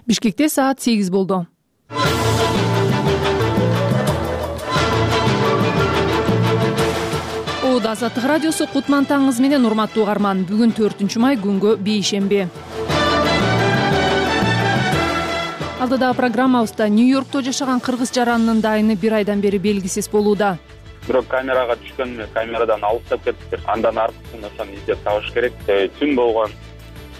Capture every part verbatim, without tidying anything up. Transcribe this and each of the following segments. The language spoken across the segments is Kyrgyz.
Бишкекте саат сегиз болду. Ода Азаттык радиосу Кутман таңыңыз менен урматтуу угарман. Бүгүн төртүнчү май күнгө бейшемби. Алдыдагы программабызда Нью-Йоркто жашаган кыргыз жаранынын дайыны бир айдан бери белгисиз болууда. Бирок камерага түшкөн, камерадан алыстап кетиптир. Андан артын ошону издеп табыш керек. Түн болгон.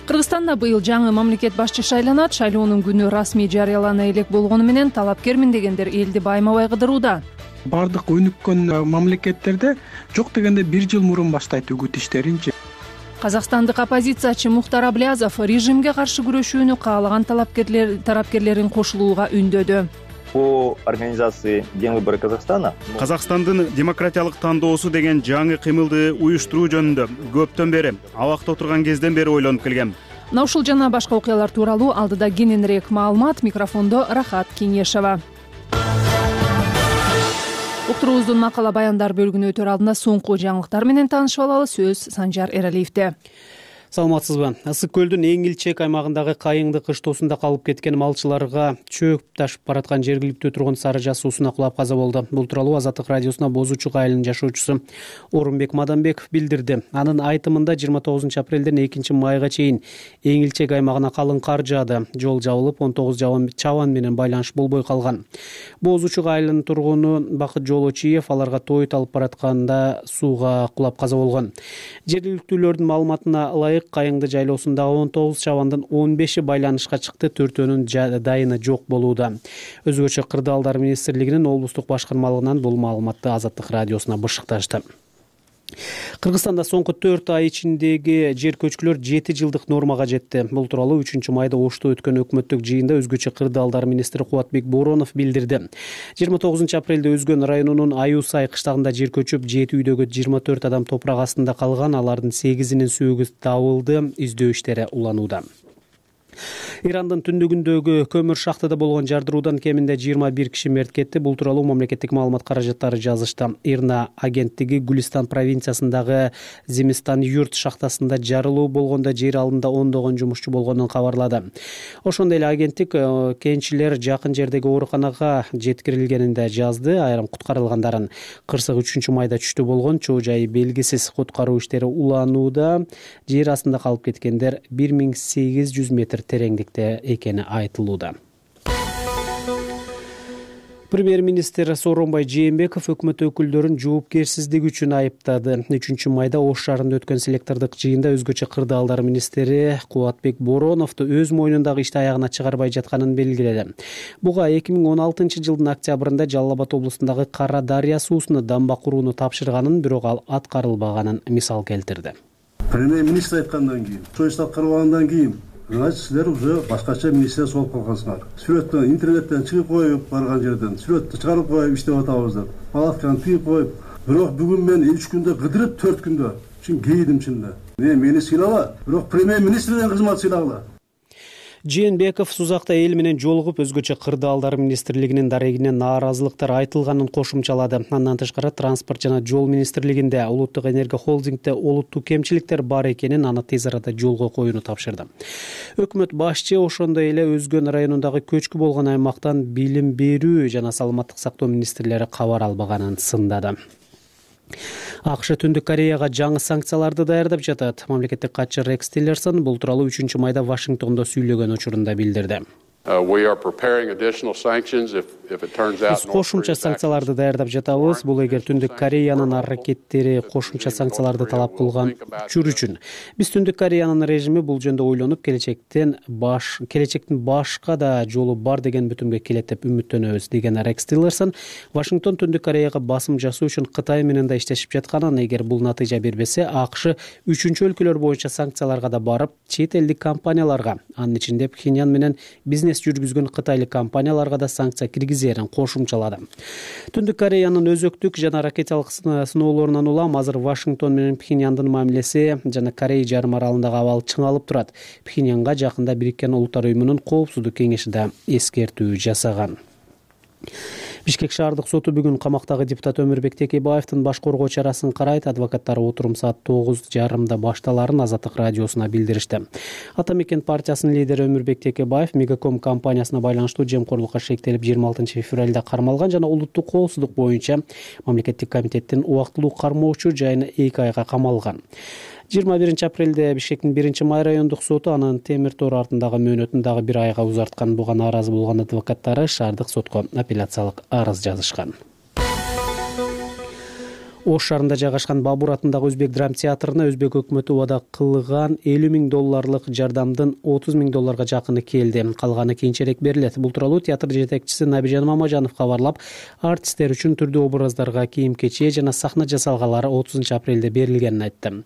Кыргызстанда быйыл жаңы мамлекет башчы шайланат. Шайлоонун күнү расмий жарыялана элек болгону менен талапкермин дегендер элди байма-бай кыдырууда. Бардык өнүккөн мамлекеттерде жок дегенде бир жыл мурун баштайт үгүт иштеринчи. Казакстандык оппозициячы Мухтар Аблязов режимге каршы күрөшүүнү каалаган талапкерлер тарапкерлерин кошулууга үндөдү. По организации День выборы Казахстана Казакстандын демократиялык тандоосу деген жаңы кыймылды уюштуруу жөнүндө көптөн бери, абакта отурган кезден бери ойлонуп келгем. Мына ушул жана башка окуялар тууралуу алдыда кененирээк маалымат. Микрофондо Рахат Кеңешова. Уктуруубуздун макала баяндар бөлүгүнө өтөр алдында соңку жаңылыктар менен таанышып алалы. Сөз Санжар Эралиевде. Саламатсызбы? Ысык көлдүн эң илчек аймагындагы Кайыңды кыштоосунда калып кеткен малчыларга чөп ташып бараткан жергиликтүү тургун Сары Жаз суусуна кулап каза болду. Бул тууралуу Азаттык радиосуна Бозучук айылынын жашоочусу Орунбек Маданбеков билдирди. Анын айтымында жыйырма тогузунчу апрелден экинчи майга чейин эң илчек аймагына калың кар жаады. Жол жабылып, он тогуз чабан менен байланыш болбой калган. Бозучук айылынын тургуну Бакыт Жолочиев аларга той алып баратканда сууга кулап каза болгон. Жергиликтүүлөрдүн маалыматына ылайык Кайыңды жайлоосундагы он тогуз чабандын он беши байланышка чыкты, төртөөнүн дайыны жок болууда. Өзгөчө Кырдаалдар министрлигинин облустук башкармалыгынан бул маалыматты Азаттык радиосуна бышыкташты. Кыргызстанда соңку төрт ай ичиндеги жер көчкүлөр жети жылдык нормага жетти. Бул тууралуу үчүнчү майда Ошто өткөн өкмөттүк жыйында өзгөчө Кырдаалдар министри Кубатбек Боронов билдирди. жыйырма тогузунчу апрелде Өзгөн районунун Аюу Сай кыштагында жер көчүп, жети үйдөгү жыйырма төрт адам топурак астында калган. Алардын сегизинин сөөгү табылды. Издөө иштери уланууда. Ирандын түндүгүндөгү көмүр шахтада болгон жардыруудан кеминде жыйырма бир киши мерт кетти. Бул тууралуу мамлекеттик маалымат каражаттары жазышты. Ирна агенттиги Гүлистан провинциясындагы Зимистан юрт шахтасында жарылуу болгондо жер алымында ондогон жумушчу болгонун кабарлады. Ошондой эле агенттик кенчилер жакын жердеги ооруканага жеткирилгенин да жазды. Айрым куткарылгандарын кырсык үчүнчү майда түштү болгон. Чоо жайы белгисиз. Куткаруу иштери уланууда. Жер астында калып кеткендер бир миң сегиз жүз метр тереңдикте экени айтылууда. Премьер-министр Сооронбай Жээнбеков өкмөт өкүлдөрүн жоопкерсиздик үчүн айыптады. үчүнчү майда Ош шаарында өткөн селектордук жыйында өзгөчө Кырдаалдар министри Кубатбек Бороновду өз мойнундагы ишти аягына чыгарбай жатканын белгиледи. Буга эки миң он алтынчы жылдын октябрында Жалал Абад облустундагы Кара Дарыя суусуна дамба курууну тапшырганын, бирок ал аткарылбаганын мисал келтирди. Премьер-министр айткандан кийин, чоюш аткарылгандан кийин значит, силер уже башкача министр болуп калгансыңар. Сүрөттөн интернеттен чыгып коюп барган жерден сүрөттү чыгарып коюп иштеп атабыз деп. Палатканы тыгып коюп, бирок бүгүн мен үч күндө кыдырып, төрт күндө чын кейдим чында. Мен мени сыйлала, бирок премьер-министрден кызмат сыйлагыла. Жээнбеков Сузакта эл менен жолугуп, өзгөчө Кырдаалдар министрлигинин дарегине нааразылыктар айтылганын кошумчалады. Андан тышкары транспорт жана жол министрлигинде улуттук энергия холдингде олуттуу кемчиликтер бар экенин, аны тез арада жолго коюуну тапшырды. Өкмөт башчы ошондой эле Өзгөн районундагы көчкү болгон аймактан билим берүү жана саламаттык сактоо министрлери кабар албаганын сындады. АКШ Түндүк Кореяга жаңы санкцияларды даярдап жатат. Мамлекеттик катчы Рекс Тиллерсон бул тууралуу үчүнчү майда Вашингтондо сүйлөгөн учурунда билдирди. Биз кошумча санкцияларды даярдап жатабыз. Бул эгер Түндүк Кореянын аракеттери кошумча санкцияларды талап кылган учур үчүн. Биз Түндүк Кореянын режими бул жөнүндө ойлонуп, келечектен баш келечектин башка да жолу бар деген бүтүмгө келет деп үмүттөнөбүз, деген Рекс Тиллерсон. Вашингтон Түндүк Кореяга басым жасоо үчүн Кытай менен да иштешип жатканын, эгер бул натыйжа бербесе, АКШ үчүнчү өлкөлөр боюнча санкцияларга да барып, чет элдик компанияларга, анын ичинде Пхеньян менен бизнес жүргүзгөн кытайлык компанияларга да санкция киргизерин кошумчалады. Түндүк Кореянын өзөктүк жана ракеталык сыноолорунан улам азыр Вашингтон менен Пхеньяндын мамилеси жана Корей жарым аралындагы абал чыңалып турат. Пхеньянга жакында Бириккен Улуттар уюмунун коопсуздук кеңеши да эскертүү жасаган. Бишкек шаардык соту бүгүн камактагы депутат Өмүрбек Текебаевдин баш коргоо чарасын карайт. Адвокаттары отурум саат тогуз жарымда башталарын Азаттык радиосуна билдиришти. Ата мекен партиясынын лидери Өмүрбек Текебаев Мегаком компаниясына байланыштуу жемкорлукка шектелип жыйырма алтынчы февралда кармалган жана улуттук коопсуздук боюнча мамлекеттик комитеттин убактылуу кармоочу жайына эки айга камалган. жыйырма биринчи апрелде Бишкектин биринчи май райондук соту анын темир тор артындагы мөөнөтүн дагы бир айга узарткан. Буга нааразы болгон адвокаттары шаардык сотко апелляциялык арыз жазышкан. Ош шаарында жайгашкан Бабур атындагы Өзбек драм театрына Өзбек өкмөтү убада кылган элүү миң долларлык жардамдын отуз миң долларга жакыны келди. Калганы кийинчерээк берилет. Бул тууралуу театр жетекчиси Набижан Мамажанов кабарлап, артисттер үчүн түрдүү образдарга кийим-кечээ жана сахна жасалгалары отузунчу апрелде берилгенин айтты.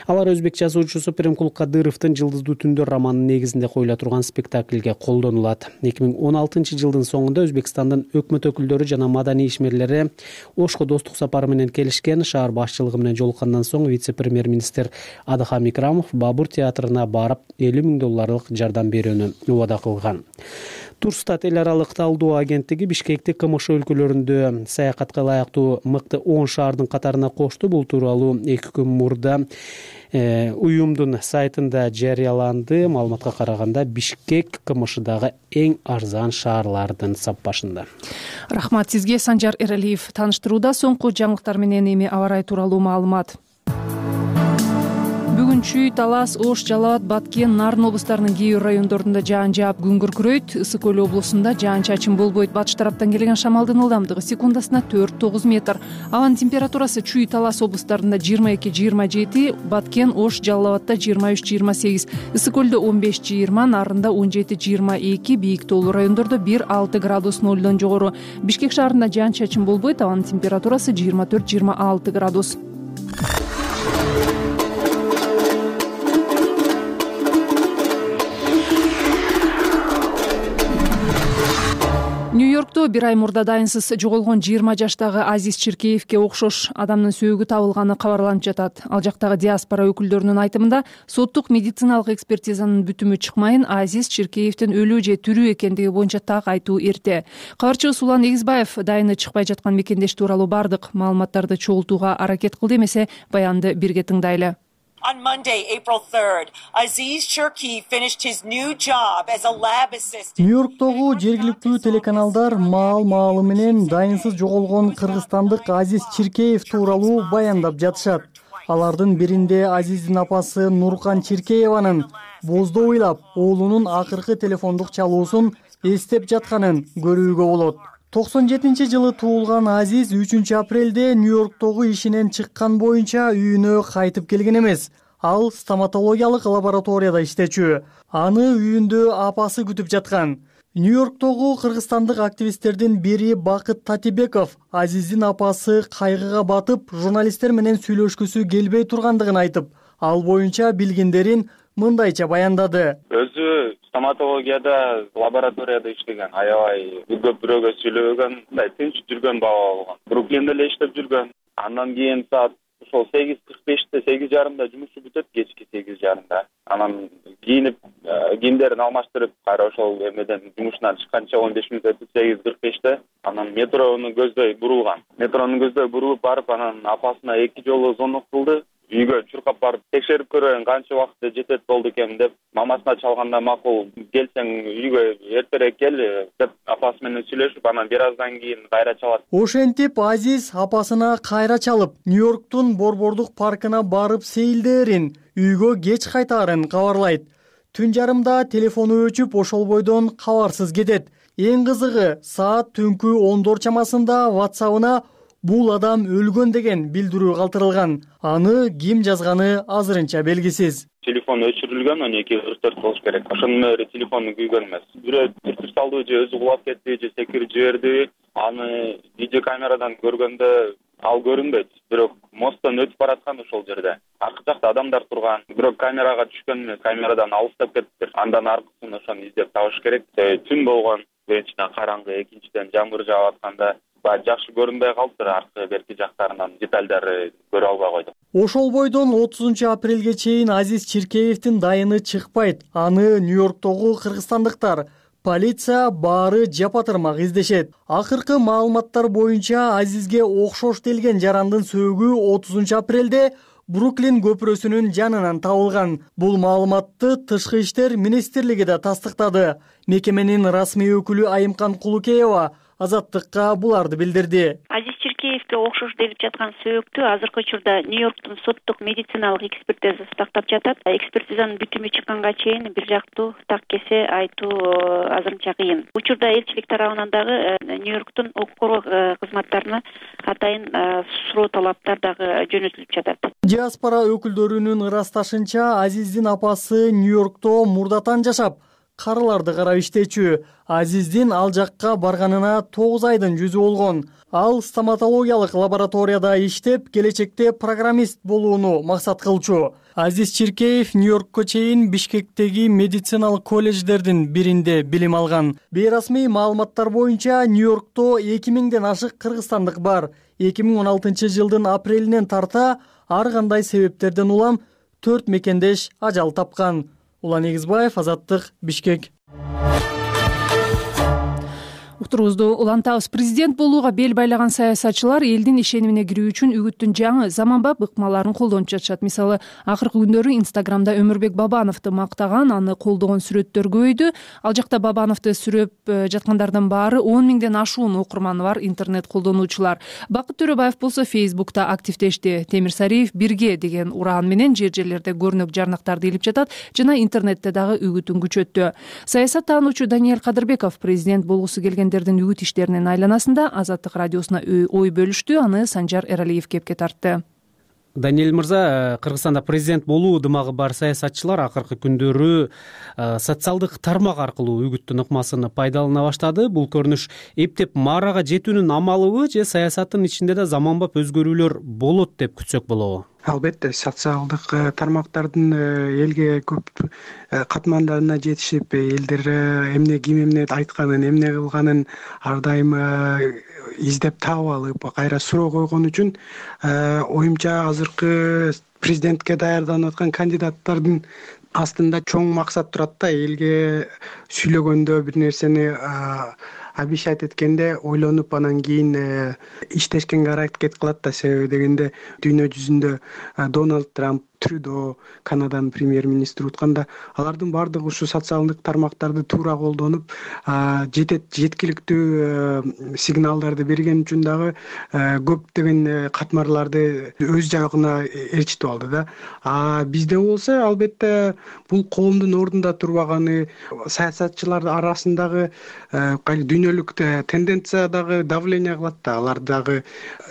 Алар өзбек жазуучусу Пиримкул Кадыровдун Жылдыздуу түндөр романынын негизинде коюла турган спектакльге колдонулат. эки миң он алтынчы жылдын соңунда Өзбекстандын өкмөт өкүлдөрү жана маданий ишмерлери Ошко достук сапары менен келишкен. Шаар башчылыгы менен жолуккандан соң вице-премьер-министр Адахам Икрамов Бабур театрына барып элүү миң долларлык жардам берүүнү убада кылган. Турстат эл аралык талдоо агенттиги Бишкекти КМШ өлкөлөрүндө саякатка ылайыктуу мыкты он шаардын катарына кошту. Бул тууралуу эки күн мурда уюмдун сайтында жарыяланды. Маалыматка караганда Бишкек КМШдагы эң арзан шаарлардын саппашында. Рахмат сизге, Санжар Эралиев. Тааныштырууда соңку жаңылыктар менен эми аба ырайы тууралуу маалымат. Бүгүн Чүй, Талас, Ош, Жалал абад, Баткен, Нарын облустарынын кээ бир райондорунда жаан жаап күн күркүрөйт. Ысык Көл облусунда жаан-чачын болбойт. Батыш тараптан келген шамалдын ылдамдыгы секундасына төрт тогуз метр. Абанын температурасы Чүй, Талас облустарында жыйырма эки жыйырма жети, Баткен, Ош, Жалал абадта жыйырма үч жыйырма сегиз, Ысык Көлдө он беш жыйырма, Нарында он жети жыйырма эки, бийик тоолуу райондордо бир алты градус нолдон жогору. Бишкек шаарында жаан-чачын болбойт. Абанын температурасы жыйырма төрт жыйырма алты градус. Нью-Йоркто бир ай мурда дайынсыз жоголгон жыйырма жаштагы Азиз Чиркеевке окшош адамдын сөөгү табылганы кабарланып жатат. Ал жактагы диаспора өкүлдөрүнүн айтымында, соттук медициналык экспертизанын бүтүмү чыкмайын Азиз Чиркеевдин өлүү же тирүү экендиги боюнча так айтуу эрте. Кабарчыбыз Улан Эгизбаев дайыны чыкпай жаткан мекендеш тууралуу бардык маалыматтарды чогултууга аракет кылды. Эмесе баянды бирге тыңдайлы. On Monday, April third, Aziz Chirki finished his new job as a lab assistant. Нью-Йорктогу жергиликтүү телеканалдар маал-маалы менен дайынсыз жоголгон кыргызстандык Азиз Чиркеев тууралуу баяндап жатышат. Алардын биринде Азиздин апасы Нуркан Чиркееванын боздоо ыйлап оолунун акыркы телефондук чалуусун эстеп жатканын көрүүгө болот. токсон жетинчи жылы туулган Азиз үчүнчү апрелде Нью-Йорктогу ишинен чыккан боюнча үйүнө кайтып келген эмес. Ал стоматологиялык лабораторияда иштечү. Аны үйүндө апасы күтүп жаткан. Нью-Йорктогу кыргызстандык активисттердин бири Бакыт Татибеков Азиздин апасы кайгыга батып, журналисттер менен сүйлөшкүсү келбей тургандыгын айтып, ал боюнча билгендерин мындайча баяндады. Өзү стоматологияда лабораторияда иштеген, аябай көп бирөөгө сүйлөгөн, мындай тынч жүргөн бала болгон. Бруклинде эле иштеп жүргөн. Андан кийин саат ошол сегиз кырк беште, сегиз жарымда жумушу бүтөт, кечки сегиз жарымда. Анан кийинип, кийимдерин алмаштырып, кайра ошол эмеден жумушунан чыкканча он беш мүнөт өтүп сегиз кырк беште анан метрону көздөй бурулган. Метрону көздөй бурулуп барып, анан апасына эки жолу звонок кылды. Үйгө чуркап барып текшерип көрөйүн канча убакытта жетет болду экен деп, мамасына чалганда макул, келсең үйгө эртерээк кел деп апасы менен сүйлөшүп, анан бир аздан кийин кайра чалат. Ошентип Азиз апасына кайра чалып, Нью-Йорктун Борбордук паркына барып сейилдээрин, үйгө кеч кайтаарын кабарлайт. Түн жарымда телефону өчүп, ошол бойдон кабарсыз кетет. Эң кызыгы, саат түнкү ондор чамасында WhatsApp-ына бул адам өлгөн деген билдирүү калтырылган. Аны ким жазганы азырынча белгисиз. Телефон өчүрүлгөн, он эки кырк төрт болуш керек. Ошонун өөрү телефону күйгөн эмес. Бирөө түртүп салды же өзү кулап кетти же секирип жиберди. Аны видео камерадан көргөндө ал көрүнбөйт. Бирок мосттон өтүп бараткан ошол жерде. Аркы жакта адамдар турган. Бирок камерага түшкөн, камерадан алыстап кетиптир. Андан аркысын ошону издеп табыш керек. Түн болгон, биринчиден караңгы, экинчиден жамгыр жаап атканда жакшы көрүнбөй калыптыр, аркы берки жактарынан детальдарды көрө албай койдук. Ошол бойдон отузунчу апрелге чейин Азиз Чиркеевдин дайыны чыкпайт. Аны Нью-Йорктогу кыргызстандыктар Полиция баары жапатырмак издешет. Акыркы маалыматтар боюнча Азизге окшош делген жарандын сөөгү отузунчу апрелде Бруклин көпүрөсүнүн жанынан табылган. Бул маалыматты Тышкы иштер министрлиги да тастыктады. Мекеменин расмий өкүлү Айымкан Кулукеева Азаттыкка буларды билдирди. Азиз Чиркеевге окшош делип жаткан сөөктү азыркы учурда Нью-Йорктун соттук медициналык экспертизасы тактап жатат. Экспертизанын бүтүмү чыкканга чейин бир жактуу так кесе айтуу азырынча кыйын. Учурда элчилик тарабынан дагы Нью-Йорктун укук коргоо кызматтарына атайын суроо талаптар дагы жөнөтүлүп жатат. Диаспора өкүлдөрүнүн ырасташынча, Азиздин апасы Нью-Йоркто мурдатан жашап, карыларды карап иштечү. Азиздин ал жакка барганына тогуз айдын жүзү болгон. Ал стоматологиялык лабораторияда иштеп, келечекте программист болууну максат кылчу. Азиз Чиркеев Нью-Йоркко чейин Бишкектеги медициналык колледждердин биринде билим алган. Бейрасмий маалыматтар боюнча Нью-Йоркто эки миңден ашык кыргызстандык бар. эки миң он алтынчы жылдын апрелинен тарта ар кандай себептерден улам төрт мекендеш ажал тапкан. Улан Эгизбаев, Азаттык, Бишкек. Уктурубузду улантабыз. Президент болууга бел байлаган саясатчылар элдин ишенимине кирүү үчүн үгүттүн жаңы заманбап ыкмаларын колдонуп жатышат. Мисалы, акыркы күндөрү Инстаграмда Өмүрбек Бабановду мактаган, аны колдогон сүрөттөр көбөйдү. Ал жакта Бабановду сүрөп жаткандардын баары он миңден ашуун окурманы бар интернет колдонуучулар. Бакыт Төрөбаев болсо Фейсбукта активдешти. Темир Сариев бирге деген ураан менен жер жерлерде көрнөк жарнактарды илип жатат жана интернетте дагы үгүтүн күчөттү. Саясат таануучу Даниэль Кадырбеков президент болгусу келген үгүт иштеринин айланасында Азаттык радиосуна ой бөлүштү. Аны Санжар Эралиев кепке тартты. Даниэль мырза, Кыргызстанда президент болуу дымагы бар саясатчылар акыркы күндөрү социалдык тармак аркылуу үгүттүн ыкмасын пайдалана баштады. Бул көрүнүш эптеп маарага жетүүнүн амалыбы же саясаттын ичинде да заманбап өзгөрүүлөр болот деп күтсөк болобу? Албетте, социалдык тармактардын элге көп катмандарына жетишип, элдер эмне ким эмне айтканын, эмне кылганын ар дайым издеп таап алып, кайра суроо койгон үчүн оюмча азыркы президентке даярданып аткан кандидаттардын астында чоң максат турат да. Элге сүйлөгөндө, бир нерсени обещать эткенде ойлонуп анан кийин иштешкенге аракет кылат да. Себеби дегенде дүйнө жүзүндө Дональд Трамп, Трюдо, Канаданын премьер-министри утканда алардын баардыгы ушу социалдык тармактарды туура колдонуп, жетет жеткиликтүү сигналдарды берген үчүн дагы көптөгөн катмарларды өз жагына ээрчитип алды да. А бизде болсо албетте бул коомдун ордунда турбаганы, саясатчылар арасындагы дүйнөлүк тенденция дагы давление кылат да. Алар дагы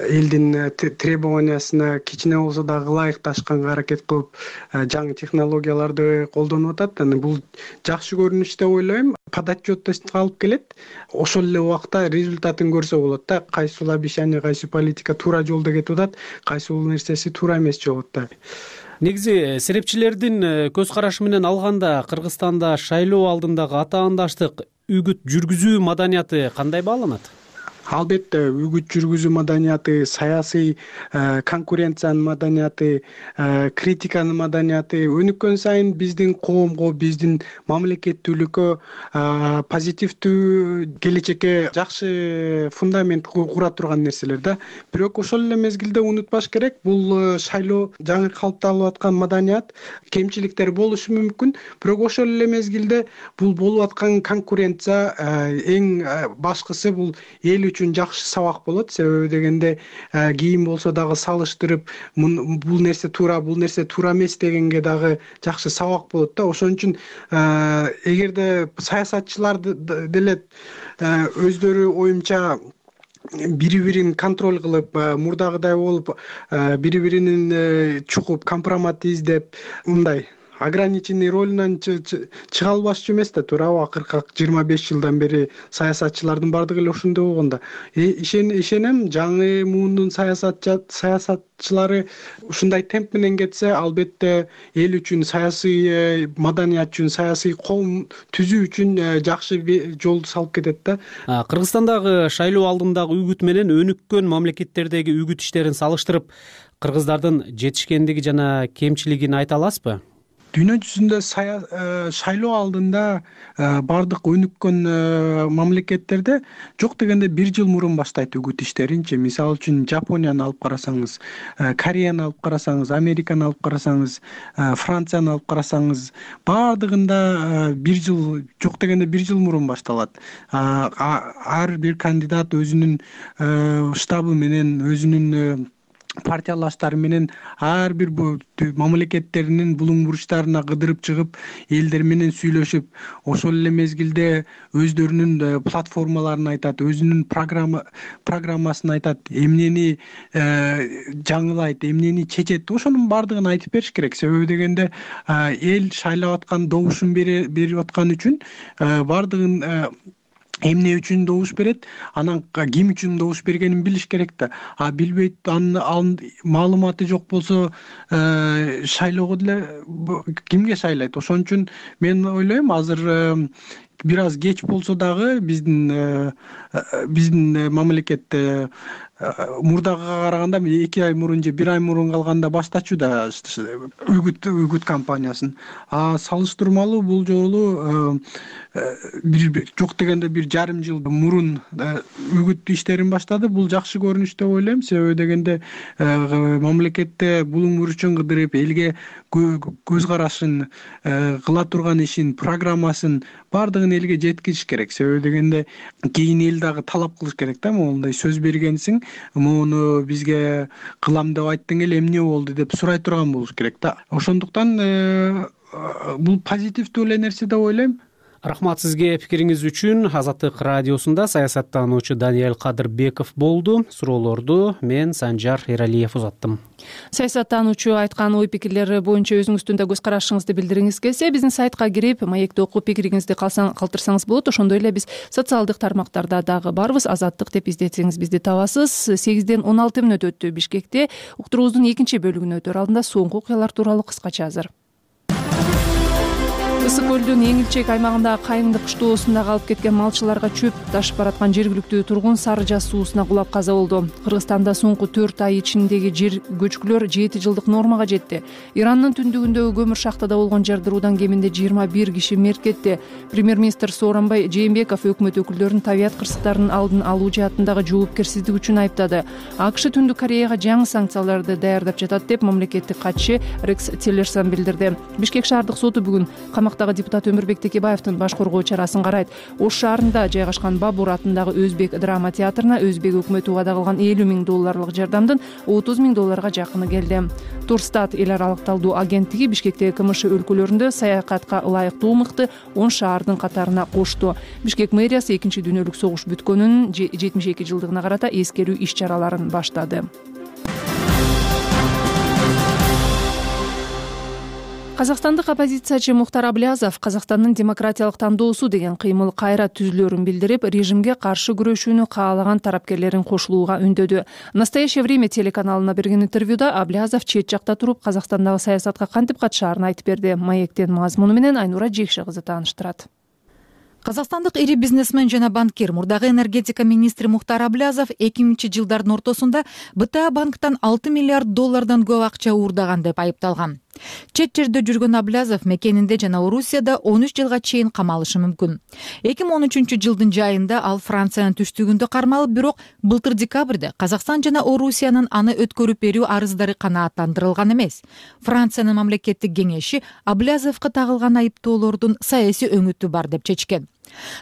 элдин требованиясына кичине болсо дагы ылайыкташканга аракет кылып жаңы технологияларды колдонуп атат. Бул жакшы көрүнүш деп ойлойм. Подотчетность алып келет. Ошол эле убакта результатын көрсө болот да. Кайсыл обещание, кайсы политика туура жолдо кетип атат, кайсы нерсеси туура эмес жолдо да. Негизи серепчилердин көз карашы менен алганда Кыргызстанда шайлоо алдындагы атаандаштык үгүт жүргүзүү маданияты кандай бааланат? Албетте, үгүт жүргүзүү маданияты, саясий конкуренциянын маданияты, критиканын маданияты өнүккөн сайын биздин коомго, биздин мамлекеттүүлүккө позитивдүү келечекке жакшы фундамент кура турган нерселер да. Бирок ошол эле мезгилде унутпаш керек, бул шайлоо жаңы калыпталып аткан маданият, кемчиликтер болушу мүмкүн, бирок ошол эле мезгилде бул болуп аткан конкуренция эң башкысы бул эл үчүн жакшы сабак болот. Себеби дегенде кийин болсо дагы салыштырып, бул нерсе туура, бул нерсе туура эмес дегенге дагы жакшы сабак болот да. Ошон үчүн эгерде саясатчылар деле өздөрү оюмча бири-бирин контроль кылып, мурдагыдай болуп, бири-биринин чукуп, компромат издеп, мындай ограниченный ролунан чыга албашчу эмес да, туурабы? Акыркы жыйырма беш жылдан бери саясатчылардын баардыгы эле ошондой болгон да. Ишенем, жаңы муундун саясатчылары ушундай темп менен кетсе, албетте эл үчүн, саясий маданият үчүн, саясий коом түзүү үчүн жакшы жолду салып кетет да. Кыргызстандагы шайлоо алдындагы үгүт менен өнүккөн мамлекеттердеги үгүт иштерин салыштырып, кыргыздардын жетишкендиги жана кемчилигин айта аласызбы? дүйнө жүзүндө шайлоо алдында баардык өнүккөн мамлекеттерде жок дегенде бир жыл мурун баштайт үгүт иштеринчи. Мисалы үчүн Жапонияны алып карасаңыз, Кореяны алып карасаңыз, Американы алып карасаңыз, Францияны алып карасаңыз, баардыгында бир жыл, жок дегенде бир жыл мурун башталат. Ар бир кандидат өзүнүн штабы менен, өзүнүн партиялаштары менен ар бир мамлекеттеринин булуң буручтарына кыдырып чыгып, элдер менен сүйлөшүп, ошол эле мезгилде өздөрүнүн платформаларын айтат, өзүнүн программа программасын айтат, эмнени жаңылайт, эмнени чечет, ошонун баардыгын айтып бериш керек. Себеби дегенде эл шайлап аткан, добушун берип аткан үчүн баардыгын эмне үчүн добуш берет, анан ким үчүн добуш бергенин билиш керек да. А билбейт, анын маалыматы жок болсо, шайлоого деле кимге шайлайт? Ошон үчүн мен ойлойм, азыр бир аз кеч болсо дагы биздин биздин мамлекетте мурдага караганда эки ай мурун же бир ай мурун калганда баштачу да үгүт үгүт кампаниясын. А салыштырмалуу бул жолу бир жок дегенде бир жарым жыл мурун үгүт иштерин баштады. Бул жакшы көрүнүш деп ойлойм. Себеби дегенде мамлекетте булуң буручун кыдырып, элге көз карашын, кыла турган ишин, программасын баардыгын элге жеткизиш керек. Себеби дегенде кийин эл дагы талап кылыш керек да, мондай сөз бергенсиң, муну бизге кылам деп айттың эле, эмне болду деп сурай турган болуш керек да. Ошондуктан бул позитивдүү эле нерсе деп ойлойм. Рахмат сизге пикириңиз үчүн. Азаттык радиосунда саясаттануучу Даниэль Кадырбеков болду. Суроолорду мен Санжар Эралиев узаттым. Саясаттануучу айткан ой пикирлери боюнча өзүңүздүн да көз карашыңызды билдиргиңиз келсе, биздин сайтка кирип, маекти окуп пикириңизди калтырсаңыз болот. Ошондой эле биз социалдык тармактарда дагы барбыз. Азаттык деп издетсеңиз бизди табасыз. сегизден он алты мүнөт өттү Бишкекте. Уктуруубуздун экинчи бөлүгүнө өтөр алдында соңку окуялар тууралуу кыскача азыр. Ысык көлдүн Эңилчек аймагындагы Кайыңды кыштоосунда калып кеткен малчыларга чөп ташып бараткан жергиликтүү тургун Сары Жаз суусуна кулап каза болду. Кыргызстанда соңку төрт ай ичиндеги жер көчкүлөр жети жылдык нормага жетти. Ирандын түндүгүндөгү көмүр шахтада болгон жардыруудан кеминде жыйырма бир киши мерт кетти. Премьер-министр Сооронбай Жээнбеков өкмөт өкүлдөрүн табият кырсыктарынын алдын алуу жаатындагы жоопкерсиздик үчүн айыптады. АКШ Түндүк Кореяга жаңы санкцияларды даярдап жатат деп мамлекеттик катчы Рекс Тиллерсон билдирди. Бишкек шаардык соту бүгүн камактагы депутат Өмүрбек Текебаевдин баш коргоо чарасын карайт. Ош шаарында жайгашкан Бабур атындагы Өзбек драма театрына Өзбек өкмөтү убада кылган элүү миң долларлык жардамдын отуз миң долларга жакыны келди. Турстат эл аралык талдоо агенттиги Бишкектеги КМШ өлкөлөрүндө саякатка ылайыктуу мыкты он шаардын катарына кошту. Бишкек мэриясы экинчи дүйнөлүк согуш бүткөнүнүн жетимиш эки жылдыгына карата эскерүү иш чараларын баштады. Казакстандык оппозициячы Мухтар Аблязов Казакстандын демократиялык тандоосу деген кыймыл кайра түзүлөрүн билдирип, режимге каршы күрөшүүнү каалаган тарапкерлерин кошулууга үндөдү. Настоящее время телеканалына берген интервьюда Аблязов чет жакта туруп Казакстандагы саясатка кантип катышаарын айтып берди. Маектин мазмуну менен Айнура Жекши кызы тааныштырат. Казакстандык ири бизнесмен жана банкир, мурдагы энергетика министри Мухтар Аблязов эки миңинчи жылдардын ортосунда БТА банктан алты миллиард доллардан көп акча уурдаган деп айыпталган. Чет жерде жүргөн Аблязов мекенинде жана Орусияда он үч жылга чейин камалышы мүмкүн. эки миң он үчүнчү жылдын жайында ал Франциянын түштүгүндө кармалып, бирок былтыр декабрда Казакстан жана Орусиянын аны өткөрүп берүү арыздары канааттандырылган эмес. Франциянын мамлекеттик кеңеши Аблязовго тагылган айыптоолордун саясий өңүтү бар деп чечкен.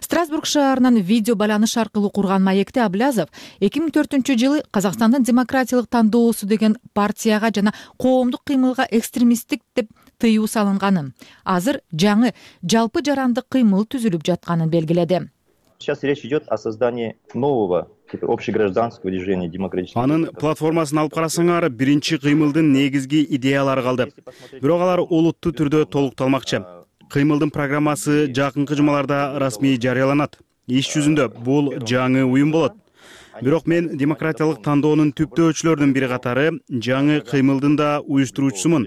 Страсбург шаарынан видео байланыш аркылуу курган маекте Аблязов эки миң төртүнчү жылы Казакстандын демократиялык тандоосу деген партияга жана коомдук кыймылга экстремисттик деп тыюу салынганын, азыр жаңы жалпы жарандык кыймыл түзүлүп жатканын белгиледи. Сейчас речь идет о создании нового общегражданского движения демократического. Анын платформасын алып карасаңар, биринчи кыймылдын негизги идеялары калды. Бирок алар олуттуу түрдө толукталмакчы. Кыймылдын программасы жакынкы жумаларда расмий жарыяланат. Иш жүзүндө бул жаңы уюм болот. Бирок мен демократиялык тандоонун түптөөчүлөрүнүн бири катары жаңы кыймылдын да уюштуруучусумун.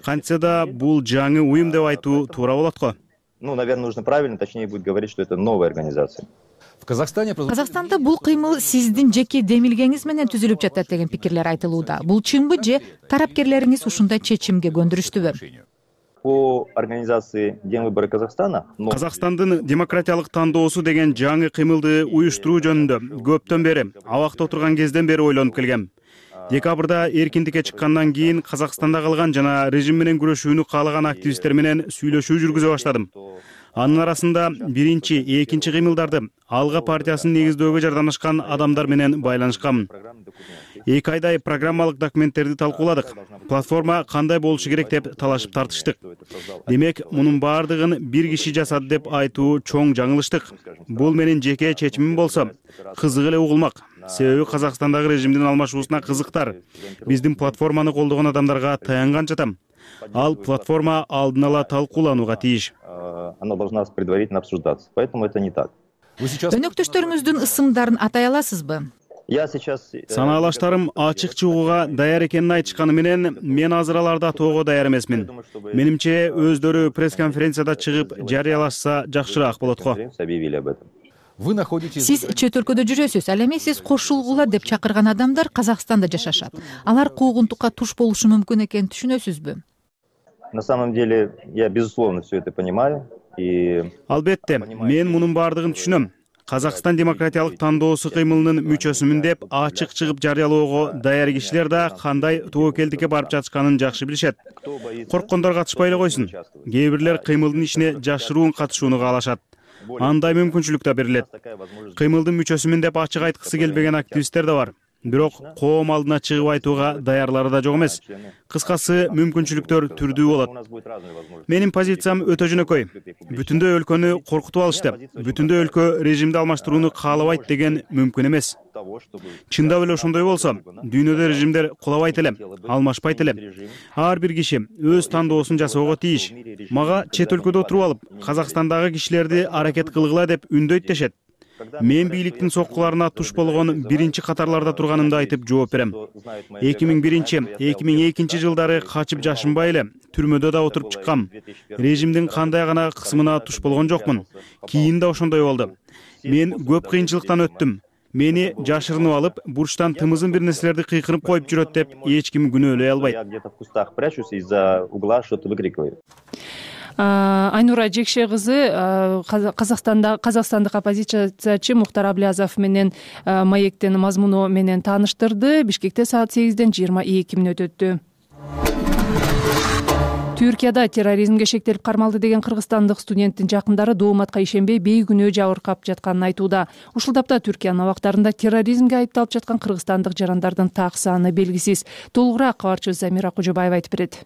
Кантсе да бул жаңы уюм деп айтуу туура болот го. Ну, наверное, нужно правильно, точнее будет говорить, что это новая организация. Казакстанда бул кыймыл сиздин жеке демилгеңиз менен түзүлүп жатат деген пикирлер айтылууда. Бул чынбы же тарапкерлериңиз ушундай чечимге көндүрүштүбү? по организации День выборы Казахстана. Казакстандын демократиялык тандоосу деген жаңы кыймылды уюштуруу жөнүндө көптөн бери, абакта отурган кезден бери ойлонуп келгем. Декабрда эркиндикке чыккандан кийин Казакстанда калган жана режим менен күрөшүүнү каалаган активисттер менен сүйлөшүү жүргүзө баштадым. Анын арасында биринчи, экинчи кыймылдарды Алга партиясын негиздөөгө жардамлашкан адамдар менен байланышкам. Эки айдай программалык документтерди талкууладык. Платформа кандай болушу керек деп талашып тартыштык. Демек, мунун баардыгын бир киши жасады деп айтуу чоң жаңылыштык. Бул менин жеке чечимим болсо, кызык эле угулмак. Себеби Казакстандагы режимдин алмашуусуна кызыктар. Биздин платформаны колдогон адамдарга таянганча там. Ал платформа алдын ала талкууланууга тийиш. Она должна предварительно обсуждаться. Поэтому это не так. Өнөктөштөрүңүздүн ысымдарын атай аласызбы? Я сейчас санаалаштарым ачык чыгууга даяр экенин айтышканы менен мен азыр аларды атоого даяр эмесмин. Менимче өздөрү пресс-конференцияда чыгып жарыялашса жакшыраак болот го. Сиз чет өлкөдө жүрөсүз, ал эми сиз кошулгула деп чакырган адамдар Казакстанда жашашат. Алар куугунтукка туш болушу мүмкүн экенин түшүнөсүзбү? На самом деле, я безусловно все это понимаю. И... Албетте, мен мунун баардыгын түшүнөм. Казакстан демократиялык тандоосу кыймылынын мүчөсүмүн деп ачык чыгып жарыялоого даяр кишилер да кандай тобокелдикке барып жатышканын жакшы билишет. Корккондор катышпай эле койсун. Кээ бирлер кыймылдын ичине жашыруун катышууну каалашат. Андай мүмкүнчүлүк да берилет. Кыймылдын мүчөсүмүн деп ачык айткысы келбеген активисттер да бар. Бирок коом алдына чыгып айтууга даярлары да жок эмес. Кыскасы, мүмкүнчүлүктөр түрдүү болот. Менин позициям өтө жөнөкөй. Бүтүндөй өлкөнү коркутуп алышты. Бүтүндөй өлкө режимди алмаштырууну каалабайт деген мүмкүн эмес. Чындап эле ошондой болсо, дүйнөдө режимдер кулабайт эле, алмашпайт эле. Ар бир киши өз тандоосун жасоого тийиш. Мага чет өлкөдө отуруп алып, Казакстандагы кишилерди аракет кылгыла деп үндөйт дешет. Мен бийликтин соккуларына туш болгон биринчи катарларда турганымды айтып жооп берем. эки миң биринчи — эки миң экинчи жылдары качып жашынбай эле түрмөдө да отуруп чыккам. Режимдин кандай гана кысымына туш болгон жокмун. Кийин да ошондой болду. Мен көп кыйынчылыктан өттүм. Мени жашырынып алып, бурчтан тымызын бир нерселерди кыйкырып коюп жүрөт деп эч ким күнөөлөй албайт. Айнура Жекше кызы Казакстанда казакстандык оппозициячы Мухтар Аблязов менен маектин мазмуну менен тааныштырды. Бишкекте саат сегизден жыйырма эки мүнөт өттү. Түркияда терроризмге шектелип кармалды деген кыргызстандык студенттин жакындары дооматка ишенбей бейкүнөө жабыркап жатканын айтууда. Ушул тапта Түркиянын абактарында терроризмге айыпталып жаткан кыргызстандык жарандардын так саны белгисиз. Толугураак кабарчыбыз Замира Кожобаева айтып берет.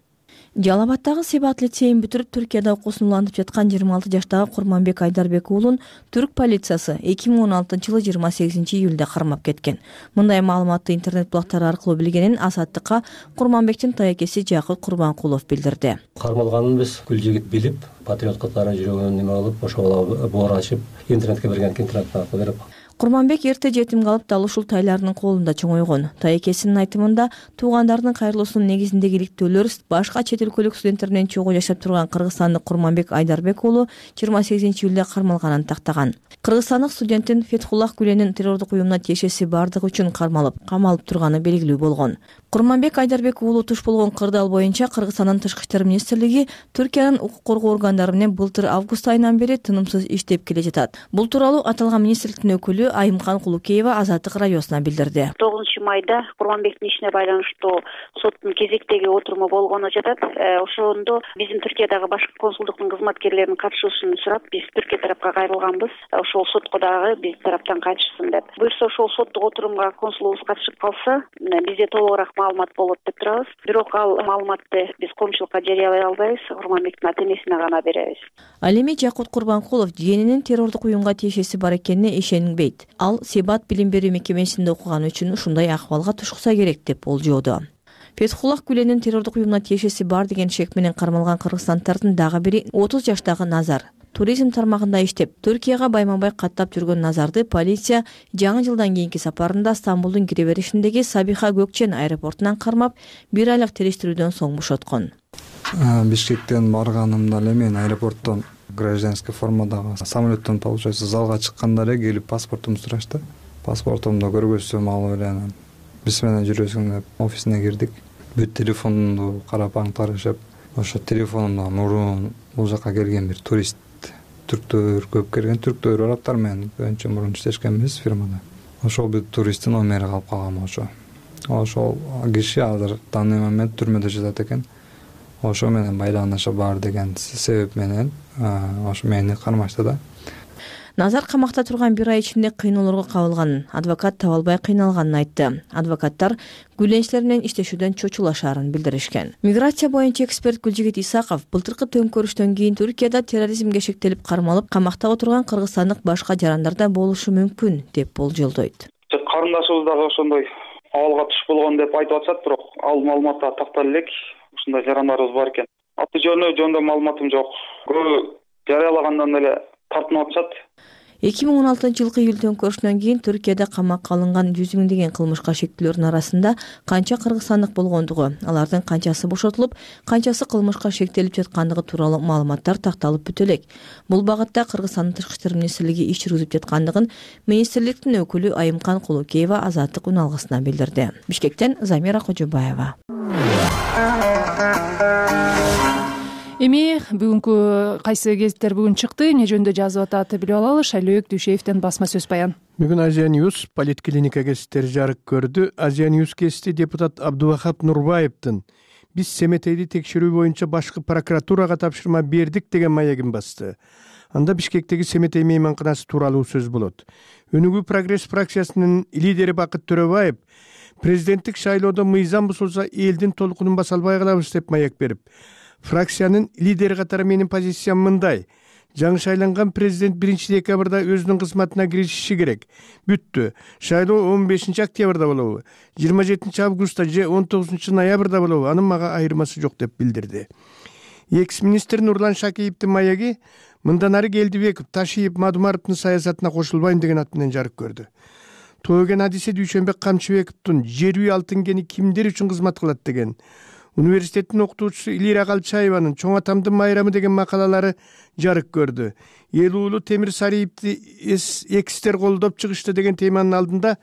Жалал Абадтагы Себат лицейин бүтүрүп Түркияда окуусун улантып жаткан жыйырма алты жаштагы Курманбек Айдарбек уулун түрк полициясы эки миң он алтынчы жылы жыйырма сегизинчи июлда кармап кеткен. Мындай маалыматты интернет блогтары аркылуу билгенин Азаттыкка Курманбектин тайекеси Жакыт Курбанкулов билдирди. Кармалганын биз күл жигит билип, патриот катары жүрөгүнөн неме кылып, ошого боор ачып, интернетке берген интернет аркылуу берип. Курманбек эрте жетим калып, дал ушул тайларынын колунда чоңойгон. Тайекесинин айтымында, туугандарынын кайрылуусунун негизиндеги иликтөөлөр башка чет өлкөлүк студенттер менен чогуу жашап турган кыргызстандык Курманбек Айдарбек уулу жыйырма сегизинчи июлда кармалганын тактаган. Кыргызстандык студенттин Фетхуллах Гүленин террордук уюмуна тиешеси бардыгы үчүн кармалып, камалып турганы белгилүү болгон. Курманбек Айдарбек уулу туш болгон кырдаал боюнча Кыргызстандын Тышкы иштер министрлиги Түркиянын укук коргоо органдары менен былтыр август айынан бери тынымсыз иштеп келе жатат. Бул тууралуу аталган министрликтин өкүлү Айымкан Кулукеева Азаттык радиосуна билдирди. тогузунчу майда Курманбектин ишине байланыштуу соттун кезектеги отуруму болгону жатат. Ошондо биздин Түркиядагы башкы консулдуктун кызматкерлеринин катышуусун сурап, биз Түркия тарапка кайрылганбыз. Ошол сотко дагы биз тараптан катышсын деп. Буюрса ошол соттук отурумга консулубуз катышып калса, бизде толугураак маалымат болот деп турабыз. Бирок ал маалыматты биз коомчулукка жарыялай албайбыз. Курманбектин ата-энесине гана беребиз. Ал эми Жакут Курбанкулов жиенинин террордук уюмга тиешеси бар экенине ишенбейт. Ал Себат билим берүү мекемесинде окуганы үчүн ушундай акыбалга тушукса керек деп болжоодо. Фетхуллах Гүленин террордук уюмуна тиешеси бар деген шек менен кармалган кыргызстандардын дагы бири отуз жаштагы Назар. Туризм тармагында иштеп, Түркияга байма-бай каттап жүргөн Назарды полиция жаңы жылдан кийинки сапарында Стамбулдун кире беришиндеги Сабиха Gökçen аэропортунан кармап, бир айлык териштирүүдөн соң бошоткон. Бишкектен барганымда эле мен аэропорттон гражданский формадагы самолеттон получается залга чыкканда эле келип паспортумду сурашты. Паспортумду көргөзсөм алып эле биз менен жүрөсүң деп офисине кирдик. Бүт телефонду карап аңтарышып, ошо телефонумда мурун бул жака келген бир турист түрктөр көп келген, түрктөр арабтар менен көбүнчө мурун иштешкенбиз фирмада. Ошол бир туристтин номери калып калган ошо. Ошол киши азыр данный момент түрмөдө жатат экен. Ошо менен байланышы бар деген себеп менен ошо мени кармашты да. Назар камакта турган бир ай ичинде кыйноолорго кабылганын, адвокат таба албай кыйналганын айтты. Адвокаттар гүлленичилер менен иштешүүдөн чочулашаарын билдиришкен. Миграция боюнча эксперт Гүлжигит Исаков былтыркы төңкөрүштөн кийин Түркияда терроризмге шектелип кармалып, камакта отурган кыргызстандык башка жарандар да болушу мүмкүн деп болжолдойт. Карындашыбыз дагы ошондой абалга туш болгон деп айтып атышат, бирок ал маалыматта тактала элек ушундай жарандарыбыз бар экен. Аты жөнү жөнүндө маалыматым жок. Көбү жарыялагандан эле тартынып атышат. эки миң он алтынчы жылкы июль төңкөрүшүнөн кийин Түркияда камакка алынган жүз миңдеген кылмышка шектүүлөрдүн арасында канча кыргызстандык болгондугу, алардын канчасы бошотулуп, канчасы кылмышка шектелип жаткандыгы тууралуу маалыматтар такталып бүтө элек. Бул багытта Кыргызстандын Тышкы иштер министрлиги иш жүргүзүп жаткандыгын министрликтин өкүлү Айымкан Кулукеева Азаттык үн алгысына билдирди. Бишкектен Замира Кожобаева. Эми бүгүнкү кайсы гезиттер бүгүн чыкты, эмне жөнүндө жазып атат билип алалы. Шайлөөк Дүйшеевден басма сөз баян. Бүгүн Азия Ньюс политклиника гезиттери жарык көрдү. Азия Ньюс гезити депутат Абдубахап Нурбаевдин биз Семетейди текшерүү боюнча башкы прокуратурага тапшырма бердик деген маегин басты. Анда Бишкектеги Семетей мейманканасы тууралуу сөз болот. Өнүгүү прогресс фракциясынын лидери Бакыт Төрөбаев президенттик шайлоодо мыйзам бузулса элдин толкунун баса албай калабыз деп маек берип, фракциянын лидери катары менин позициям мындай: жаңы шайланган президент биринчи декабрда өзүнүн кызматына киришиши керек. Бүттү. Шайлоо он бешинчи октябрда болобу, жыйырма жетинчи августта же он тогузунчу ноябрда болобу, анын мага айырмасы жок деп билдирди. Экс-министр Нурлан Шакиевдин маеги мындан ары Келдибеков, Ташиев, Мадумаровдун саясатына кошулбайм деген ат менен жарык көрдү. Тоогөн адиси Дүйшөнбек Камчыбековдун жер үй алтын кени кимдер үчүн кызмат кылат деген, университеттин окутуучусу Илира Калчаеванын чоң атамдын майрамы деген макалалары жарык көрдү. Эл уулу Темир Сариевди экстер колдоп чыгышты деген теманын алдында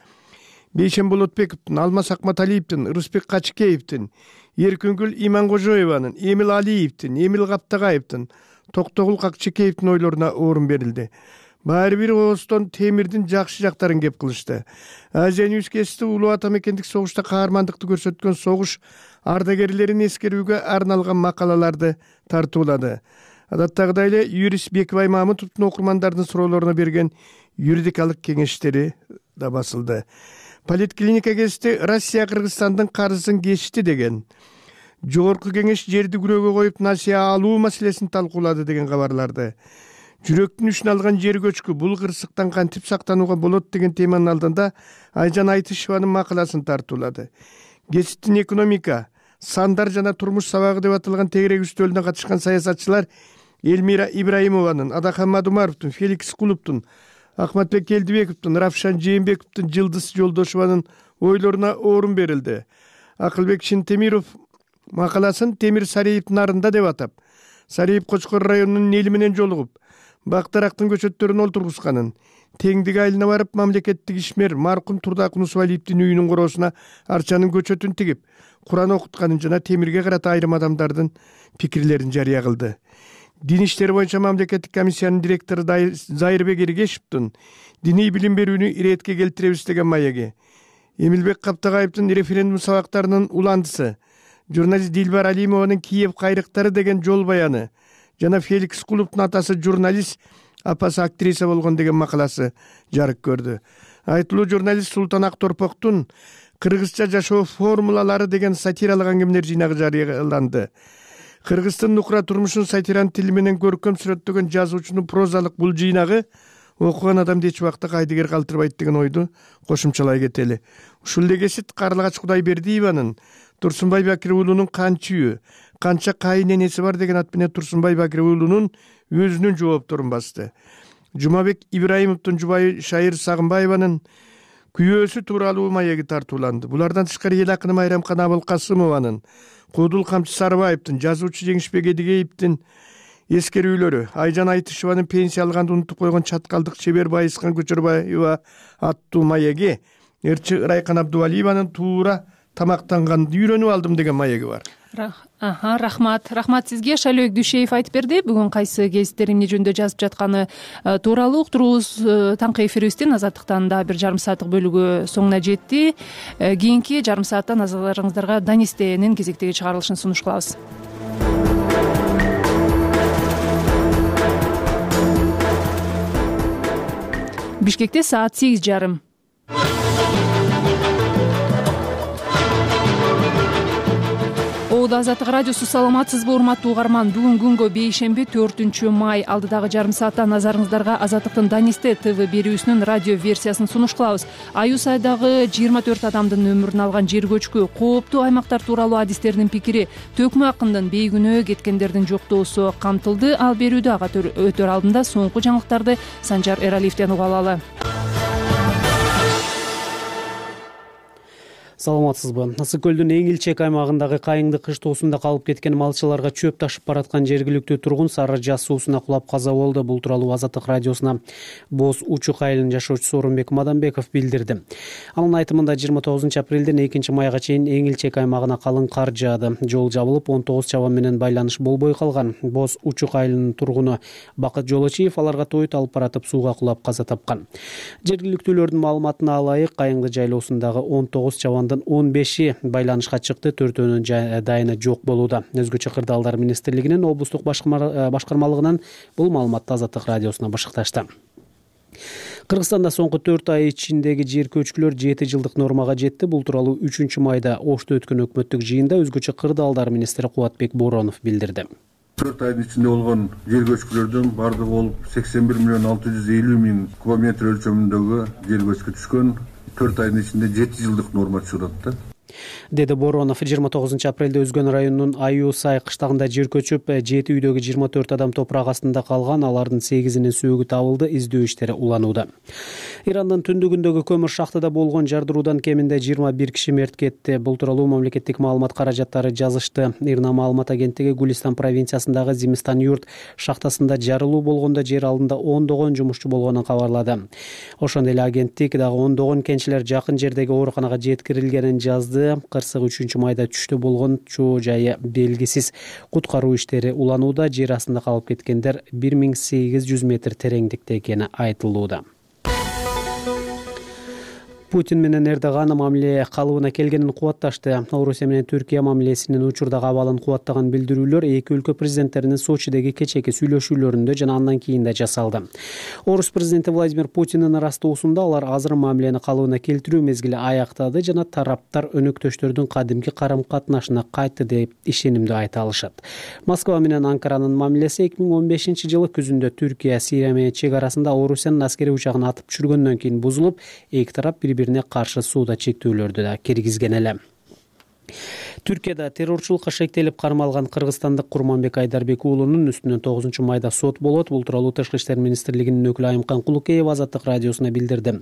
Бейшен Болотбековдун, Алмаз Акматалиевдин, Рысбек Качкеевдин, Эркүнгүл Иманкожоеванын, Эмил Алиевдин, Эмил Каптагаевдин, Токтогул Какчекеевдин ойлоруна орун берилди. Баары бир оостон Темирдин жакшы жактарын кеп кылышты. Азия Ньюс гезити улуу ата мекендик согушта каармандыкты көрсөткөн согуш ардагерлерин эскерүүгө арналган макалаларды тартуулады. Адаттагыдай эле юрист Бекбай Мамытовдун окурмандардын суроолоруна берген юридикалык кеңештери да басылды. Политклиника гезити Россия Кыргызстандын карызын кечти деген. Жогорку кеңеш жерди күрөөгө коюп насыя алуу маселесин талкуулады деген кабарларды. Жүрөктүн үчүн алган жер көчкү бул кырсыктан кантип сактанууга болот деген теманын алдында Айжан Айтышеванын макаласын тартуулады. Гезиттин экономика, сандар жана турмуш сабагы деп аталган тегерек үстөлүнө катышкан саясатчылар Элмира Ибраимованын, Адахан Мадумаровдун, Феликс Кулуптун, Акматбек Келдибековдун, Равшан Жээнбековдун, Жылдыз Жолдошованын ойлоруна орун берилди. Акылбек Шинтемиров макаласын Темир Сариевдин арында деп атап, Сариев Кочкор районунун эли менен жолугуп, бактарактын көчөттөрүн олтургузганын, теңдик айылына барып мамлекеттик ишмер маркум Турдакун Усвалиевдин үйүнүн короосуна арчанын көчөтүн тигип, Куран окутканын жана Темирге карата айрым адамдардын пикирлерин жарыя кылды. Дин иштери боюнча мамлекеттик комиссиянын директору Зайырбек Эргешевдин диний билим берүүнү иретке келтиребиз деген маеги, Эмилбек Каптагаевдин референдум сабактарынын уландысы, журналист Дилбар Алимованын Киев кайрыктары деген жол баяны жана Феликс Кулуптун атасы журналист, апасы актриса болгон деген макаласы жарык көрдү. Айтылуу журналист Султан Акторпоктун Кыргызча жашоо формулалары деген сатиралык аңгемелер жыйнагы жарыяланды. Кыргыздын нукра турмушун сатиран тили менен көркөм сүрөттөгөн жазуучунун прозалык бул жыйнагы окуган адамды эч убакта кайдыгер калтырбайт деген ойду кошумчалай кетели. Ушул эле гезит Карлыгач Кудайбердиеванын Турсунбай Бакир уулунун канчүйү, канча кайын энеси бар деген ат менен Турсунбай Бакир уулунун өзүнүн жоопторун басты. Жумабек Ибраимовдун жубайы Шайыр Сагынбаеванын күйөөсү тууралуу маеги тартууланды. Булардан тышкары эл акыны Майрамкан Абылкасымованын, Кудул Камчы Сарыбаевдин, жазуучу Жеңишбек Эдигеевдин эскерүүлөрү, Айжан Айтышеванын пенсия алганды унутуп койгон чаткалдык чебер Байыскан Көчөрбаева аттуу маеги, Эрчи Ырайкан Абдувалиеванын туура тамактанганды үйрөнүп алдым деген маеги бар. рахмат рахмат сизге. Шайлообек Дүйшеев айтып берди. Бүгүн кайсы гезиттер эмне жөнүндө жазып жатканы тууралуу уктуруубуз таңкы эфирибиздин азаттыктан дагы бир жарым сааттык бөлүгү соңуна жетти. Кийинки жарым саатта назарларыңыздарга Данистенин кезектеги чыгарылышын сунуш кылабыз. Бишкекте саат сегиз жарым. Азаттык радиосу саламатсызбы урматтуу угарман. Бүгүн күнгө бейшемби төртүнчү май. Алдыдагы жарым саатта назарыңыздарга Азаттыктын Данисте ТВ берүүсүнүн радио версиясын сунуш кылабыз. Аюу сайдагы жыйырма төрт адамдын өмүрүн алган жер көчкү, кооптуу аймактар тууралуу адистердин пикири, Төкмө акындын бейгүнөө кеткендердин жоктоосу камтылды. Ал берүүдө ага өтөр алдында соңку жаңылыктарды Санжар Эралиевден уга алалы. Саламатсызбы. Ысык көлдүн эң илчек аймагындагы Кайыңды кыштоосунда калып кеткен малчыларга чөп ташып бараткан жергиликтүү тургун Сары Жаз суусуна кулап каза болду. Бул тууралуу Азаттык радиосуна Боз Учук айылынын жашоочусу Орунбек Мадамбеков билдирди. Анын айтымында жыйырма тогузунчу апрелден экинчи майга чейин эң илчек аймагына калың кар жаады. Жол жабылып, он тогуз чабан менен байланыш болбой калган. Боз Учук айылынын тургуну Бакыт Жолочиев аларга тоют алып баратып сууга кулап каза тапкан. Жергиликтүүлөрдүн маалыматына алайык, Кайыңды жайлоосундагы он тогуз чабан он беши байланышка чыкты, төртөөнүн дайыны жок болууда. Өзгөчө кырдаалдар министрлигинин облустук башкармалыгынан бул маалыматты Азаттык радиосуна башыкташты. Кыргызстанда соңку төрт ай ичиндеги жер көчкүлөр жети жылдык нормага жетти. Бул тууралуу үчүнчү майда Ошто өткөн өкмөттүк жыйында өзгөчө кырдаалдар министри Кубатбек Боронов билдирди. төрт айдын ичинде болгон жер көчкүлөрдүн бардыгы болуп сексен бир миллион алты жүз элүү миң кубометр өлчөмүндөгү жер көчкү түшкөн. төрт айдын ичинде жети жылдык норма чыгат да. Деди Боронов. жыйырма тогузунчу апрелде Өзгөн районунун Аюу Сай кыштагында жер көчүп, жети үйдөгү жыйырма төрт адам топурак астында калган. Алардын сегизинин сөөгү табылды. Издөө иштери уланууда. Ирандын түндүгүндөгү көмүр шахтада болгон жардыруудан кеминде жыйырма бир киши мерт кетти. Бул тууралуу мамлекеттик маалымат каражаттары жазышты. Ирна маалымат агенттиги Гулистан провинциясындагы Зимистан юрт шахтасында жарылуу болгондо жер алдында ондогон жумушчу болгонун кабарлады. Ошондой эле агенттик дагы ондогон кенчилер жакын жердеги ооруканага жеткирилгенин жазды. Кырсык үчүнчү майда түштө болгон чоо жайы белгисиз. Куткаруу иштери уланууда. Жер астында калып кеткендер бир миң сегиз жүз метр тереңдикте экени айтылууда. Путин менен Эрдоган мамиле калыбына келгенин кубатташты. Орусия менен Түркия мамилесинин учурдагы абалын кубаттаган билдирүүлөр эки өлкө президенттеринин Сочидеги кечээки сүйлөшүүлөрүндө жана андан кийин да жасалды. Орус президенти Владимир Путиндин ырастуусунда алар азыр мамилени калыбына келтирүү мезгили аяктады жана тараптар өнөктөштөрдүн кадимки карым-катнашына кайтты деп ишенимдүү айта алышат. Москва менен Анкаранын мамилеси эки миң он бешинчи жылы күзүндө Түркия Сирия менен чек арасында Орусиянын аскерий учагын атып түшүргөндөн кийин бузулуп, эки тарап бири-бирине каршы сууда чектөөлөрдү да киргизген эле. Түркияда террорчулукка шектелип кармалган кыргызстандык Курманбек Айдарбек уулунун үстүнөн тогузунчу майда сот болот. Бул тууралуу Тышкы иштер министрлигинин өкүлү Айымкан Кулукеева Азаттык радиосуна билдирди.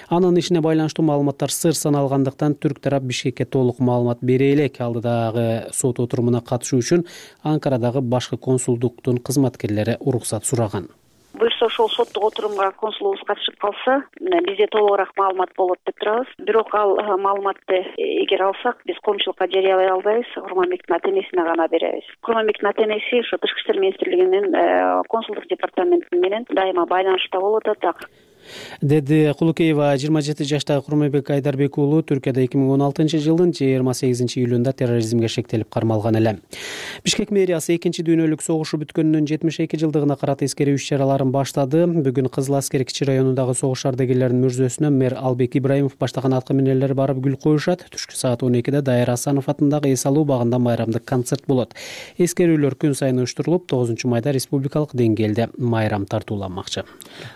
Анын ишине байланыштуу маалыматтар сыр саналгандыктан түрк тарап Бишкекке толук маалымат бере элек. Алдыдагы сот отурумуна катышуу үчүн Анкарадагы башкы консулдуктун кызматкерлери уруксат сураган. Буюрса ошол соттук отурумга консулубуз катышып калса, бизде толугураак маалымат болот деп турабыз. Бирок ал маалыматты эгер алсак, биз коомчулукка жарыялай албайбыз, Курманбектин ата-энесине гана беребиз. Курманбектин ата-энеси ошо Тышкы иштер министрлигинин консулдук департаменти менен дайыма байланышта болуп атат. Деди Кулукеева. жыйырма жети жаштагы Курманбек Айдарбек уулу Түркияда эки миң он алтынчы жылдын жыйырма сегизинчи июлунда терроризмге шектелип кармалган эле. Бишкек мэриясы экинчи дүйнөлүк согушу бүткөнүнүн жетимиш эки жылдыгына карата эскерүү иш-чараларын баштады. Бүгүн Кызыл Аскер кичи районундагы согуш ардагерлеринин мүрзөсүнө мэр Албек Ибраимов баштаган аткы минелер барып гүл коюшат. Түшкү саат он экиде Дайыр Асанов атындагы эс алуу багында майрамдык концерт болот. Эскерүүлөр күн сайын уюштурулуп, тогузунчу майда республикалык деңгээлде майрам тартууланмакчы.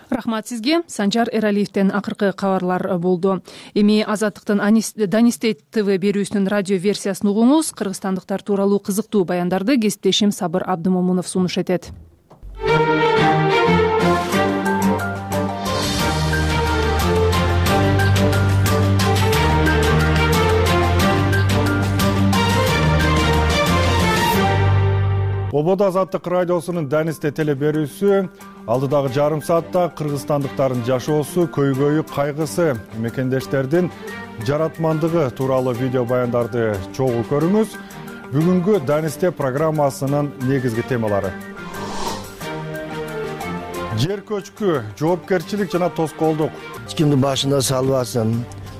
Рахмат сизге. Санжар Эралиевден акыркы кабарлар болду. Эми Азаттыктын Данисте ТВ берүүсүнүн радио версиясын угуңуз. Кыргызстандыктар тууралуу кызыктуу баяндарды кесиптешим Сабыр Абдымомунов сунуш этет. Ободо Азаттык радиосунун Данисте теле берүүсү алдыдагы жарым саатта кыргызстандыктардын жашоосу, көйгөйү, кайгысы, мекендештердин жаратмандыгы тууралуу видео баяндарды чогуу көрүңүз. Бүгүнкү Данисте программасынын негизги темалары: жер көчкү, жоопкерчилик жана тоскоолдук. Эч кимди башына салбасын,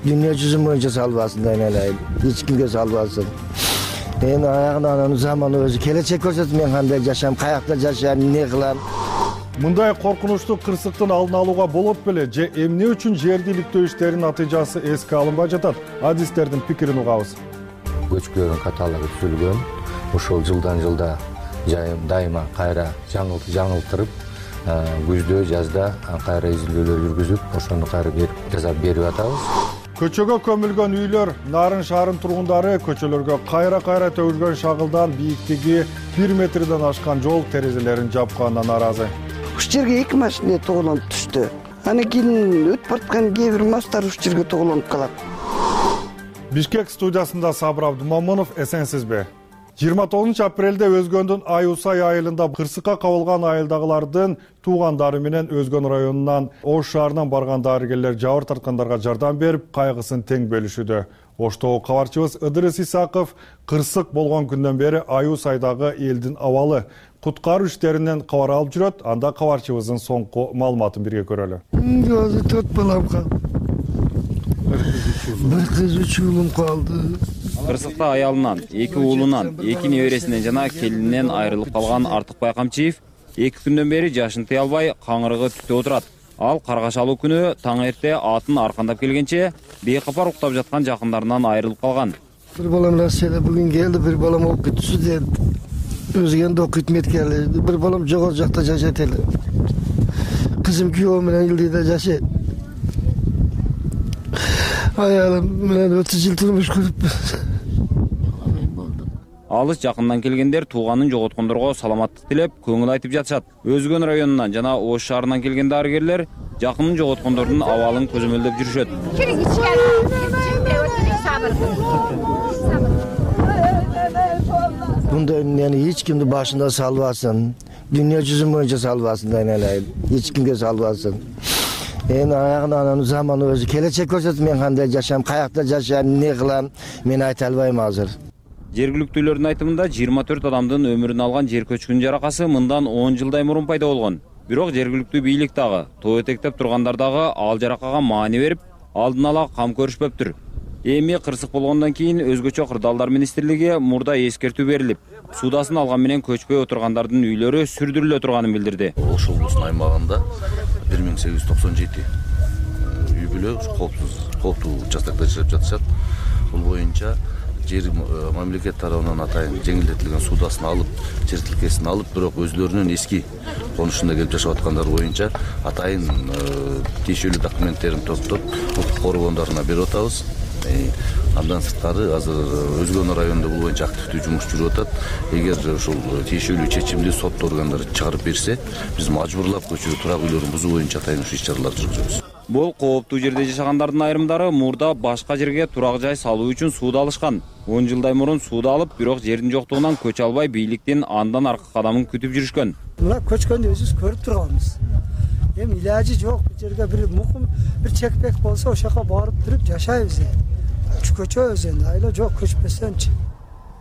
дүйнө жүзү боюнча салбасын, айналайын. Эч кимге салбасын. Мен аягынан анын заманы өзү келечек көрсөтүп, мен кандай жашайм, каякта жашайм, эмне кылам. Мындай коркунучтуу кырсыктын алдын алууга болот беле же эмне үчүн жерди иликтөө иштеринин натыйжасы эске алынбай жатат? Адистердин пикирин угабыз. Көчкүлөрдүн каталыгы түзүлгөн. Ошол жылдан жылда жайым дайыма кайра жаңылтырып, күздө, жазда кайра изилдөөлөр жүргүзүп, ошону кайра жасап берип атабыз. Көчөгө көмүлгөн үйлөр, Нарын шаарынын тургундары көчөлөргө кайра-кайра төгүлгөн шагылдан бийиктиги бир метрден ашкан жол терезелерин жапканына нааразы. Ушул жерге эки машина тоголонуп түштү. Анан кийин өтүп бараткан кээ бир мастар ушул жерге тоголонуп калат. Бишкек студиясында Сабыр Абдумамунов, эсенсизби? жыйырма тогузунчу апрелде Өзгөндүн Аюсай айылында кырсыкка кабылган айылдагылардын туугандары менен Өзгөн районунан Ош шаарынан барган дарыгерлер жабыр тарткандарга жардам берип, кайгысын тең бөлүшүүдө. Оштогу кабарчыбыз Ыдырыс Исаков кырсык болгон күндөн бери Аюсайдагы элдин абалы, куткаруу иштеринен кабар алып жүрөт. Анда кабарчыбыздын соңку маалыматын бирге көрөлү. Өзү төрт балам калды. Бир кыз, үч уулум калды. Кырсыкта аялынан, эки уулунан, эки небересинен жана келининен айрылып калган Артыкбай Камчиев эки күндөн бери жашын тыя албай каңырыгы түтүп отурат. Ал каргашалуу күнү таң эрте атын аркандап келгенче бейкапар уктап жаткан жакындарынан айрылып калган. Бир балам Россияда бүгүн келди, бир балам окуйт студент. Өзгөндө окуйт медкели, бир балам жогору жакта жашайт эле. Кызым күйөөм менен Илдийде жашайт. Аялым менен отуз жыл турмуш көрүппүз. Алыс жакындан келгендер тууганын жоготкондорго саламаттык тилеп, көңүл айтып жатышат. Өзгөн районунан жана Ош шаарынан келген дарыгерлер жакынын жоготкондордун абалын көзөмөлдөп жүрүшөт. Мындай эмнени эч кимди башына салбасын, дүйнө жүзү боюнча салбасын, айналайын. Эч кимге салбасын. Мен аягынан анын заманы өзү келечек көрсөтүп, мен кандай жашайм, каякта жашайм, эмне кылам, мен айта албайм азыр. Жергиликтүүлөрдүн айтымында жыйырма төрт адамдын өмүрүн алган жер көчкүнүн жаракасы мындан он жылдай мурун пайда болгон. Бирок жергиликтүү бийлик дагы, тоо этектеп тургандар дагы ал жаракага маани берип, алдын ала кам көрүшпөптүр. Эми кырсык болгондон кийин өзгөчө кырдаалдар министрлиги мурда эскертүү берилип, суудасын алган менен көчпөй отургандардын үйлөрү сүрдүрүлө турганын билдирди. Ош облусунун аймагында бир миң сегиз жүз токсон жети үй бүлө кооптуу участокто жашап жатышат. Бул боюнча жер мамлекет тарабынан атайын жеңилдетилген суудасын алып, жер тилкесин алып, бирок өзлөрүнүн эски конушунда келип жашап аткандар боюнча атайын тиешелүү документтерин топтоп, укук коргондоруна берип атабыз. Андан сырткары азыр Өзгөн районунда бул боюнча активдүү жумуш жүрүп атат. Эгер ушул тиешелүү чечимди сот органдары чыгарып берсе, биз мажбурлап көчө турак үйлөрүн бузуу боюнча атайын иш чаралар жүргүзөбүз. Бул кооптуу жерде жашагандардын айрымдары мурда башка жерге турак жай салуу үчүн сууду алышкан. он жылдай мурун сууду алып, бирок жердин жоктугунан көчө албай бийликтин андан аркы кадамын күтүп жүрүшкөн. Мына көчкөндү өзүбүз көрүп турганбыз. Эми илажы жок, бул жерге бир мукум, бир чекпек болсо ошол жака барып туруп жашайбыз. Көчөбүз энди, айла жок көчпөсөнчү.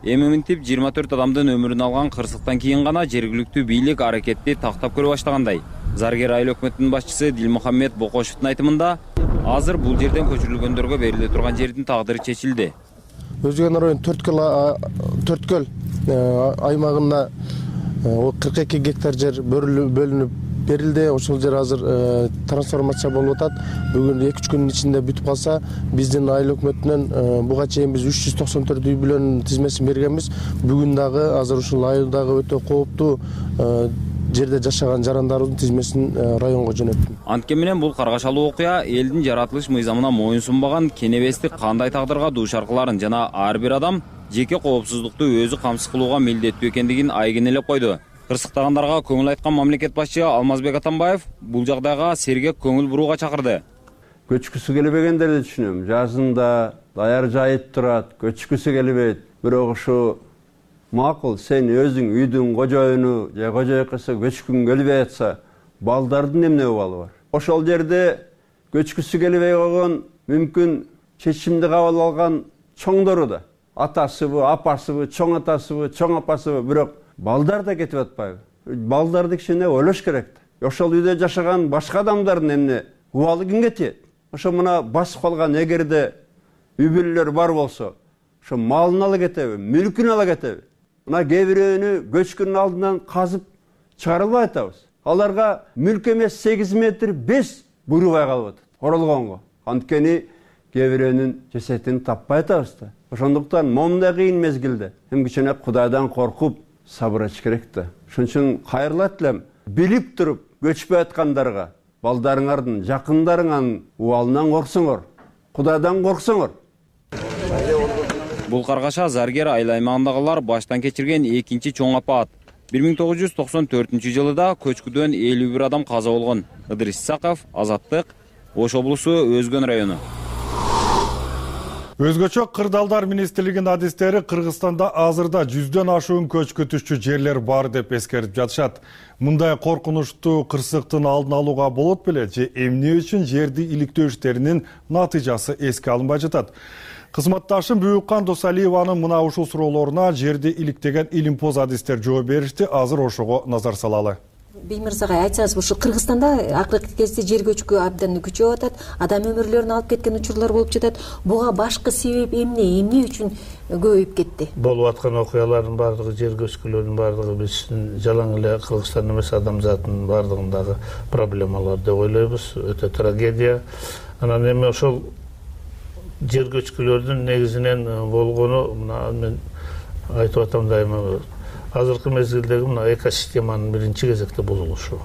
Эми мынтип жыйырма төрт адамдын өмүрүн алган кырсыктан кийин гана жергиликтүү бийлик аракетти тактап көрө баштагандай. Заргер айыл өкмөтүнүн башчысы Дилмухаммед Бокошевдун айтымында, азыр бул жерден көчүрүлгөндөргө бериле турган жердин тагдыры чечилди. Өзгөн районунун Төрткөл аймагында кырк эки гектар жер бөлүнүп берилди. Ошол жер азыр трансформация болуп атат. Бүгүн эки үч күндүн ичинде бүтүп калса, биздин айыл өкмөтүнөн буга чейин биз үч жүз токсон төрт үй бүлөнүн тизмесин бергенбиз. Бүгүн дагы азыр ушул айылдагы өтө кооптуу жерде жашаган жарандарыбыздын тизмесин районго жөнөттүм. Анткени менен бул каргашалуу окуя элдин жаратылыш мыйзамына моюн сунбаган кенебестик кандай тагдырга дуушар кыларын жана ар бир адам жеке коопсуздукту өзү камсыз кылууга милдеттүү экендигин айгинелеп койду. Кырсыктагандарга көңүл айткан мамлекет башчы Алмазбек Атамбаев бул жагдайга сергек көңүл бурууга чакырды. Көчкүсү келбегендерди түшүнөм. Жазында даяр жайып турат, көчкүсү келбейт. Бирок ушу макул, сен өзүң үйдүн кожоюну же кожойкысы көчкүң келбей атса, балдардын эмне абалы бар? Ошол жерде көчкүсү келбей койгон мүмкүн чечимди кабыл алган чоңдору да атасыбы, апасыбы, чоң атасыбы, чоң апасыбы, бирок балдар да кетип атпайбы? Балдарды кичине ойлош керек. Ошол үйдө жашаган башка адамдардын эмне убалы кимге тиет? Ошо мына басып калган эгерде үй бүлөлөр бар болсо, ошо малын ала кетеби, мүлкүн ала кетеби? Мына кээ бирөөнү көчкүнүн алдынан казып чыгарылбай атабыз. Аларга мүлк эмес сегиз метр бес буйрубай калып атат оролгонго. Анткени кээ бирөөнүн жесетин таппай атабыз да. Ошондуктан момундай кыйын мезгилде эми кичине Кудайдан коркуп сабырчы керек да. Ошон үчүн кайрылат элем, билип туруп көчпөй аткандарга, балдарыңардын, жакындарыңардын убалынан корксоңор, Кудайдан корксоңор. Бул каргаша Заргер айыл аймагындагылар баштан кечирген экинчи чоң апаат. бир миң тогуз жүз токсон төртүнчү жылыда көчкүдөн элүү бир адам каза болгон. Ыдырис Исаков, Азаттык, Ош облусу, Өзгөн району. Өзгөчө кырдаалдар министрлигинин адистери Кыргызстанда азырда жүздөн ашуун көчкүтүшчү жерлер бар деп эскертип жатышат. Мындай коркунучтуу кырсыктын алдын алууга болот беле же эмне үчүн жерди иликтөө иштеринин натыйжасы эске алынбай жатат? Кызматташым Бүйүккан Досалиеванын мына ушул суроолоруна жерди иликтеген илимпоз адистер жооп беришти. Азыр ошого назар салалы. Беймирзагай, айтсаңыз, ушу Кыргызстанда акыркы кезде жер көчкү абдан күчөп атат, адам өмүрлөрүн алып кеткен учурлар болуп жатат. Буга башкы себеп эмне? Эмне үчүн көбөйүп кетти? Болуп аткан окуялардын бардыгы, жер көчкүлөрдүн бардыгы биздин жалаң эле Кыргызстан эмес, адамзаттын бардыгындагы проблемалар деп ойлойбуз. Өтө трагедия. Анан эми ошол жер көчкүлөрдүн негизинен болгону, мына мен айтып атам дайыма, азыркы мезгилдеги мына экосистеманын биринчи кезекте бузулушу.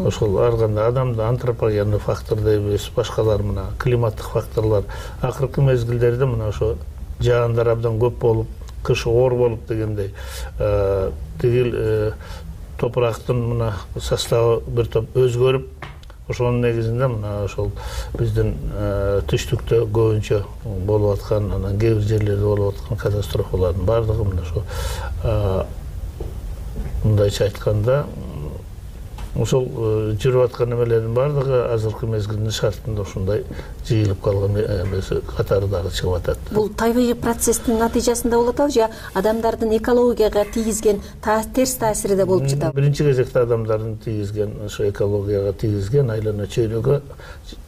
Ошол ар кандай адамды антропогендик фактор дейбиз, башкалар мына климаттык факторлор. Акыркы мезгилдерде мына ошо жаандар абдан көп болуп, кыш оор болуп дегендей, тигил топурактын мына составы бир топ өзгөрүп, ошонун негизинде мына ошол биздин түштүктө көбүнчө болуп аткан, анан кээ бир жерлерде болуп аткан катастрофалардын бардыгы мына ошо мындайча айтканда ошол жүрүп аткан эмелердин бардыгы азыркы мезгилдин шартында ушундай жыйылып калган эмеси катары дагы чыгып атат. Бул табигый процесстин натыйжасында болуп атабы же адамдардын экологияга тийгизген терс таасири да болуп жатабы? Биринчи кезекте адамдардын тийгизген, ошо экологияга тийгизген, айлана чөйрөгө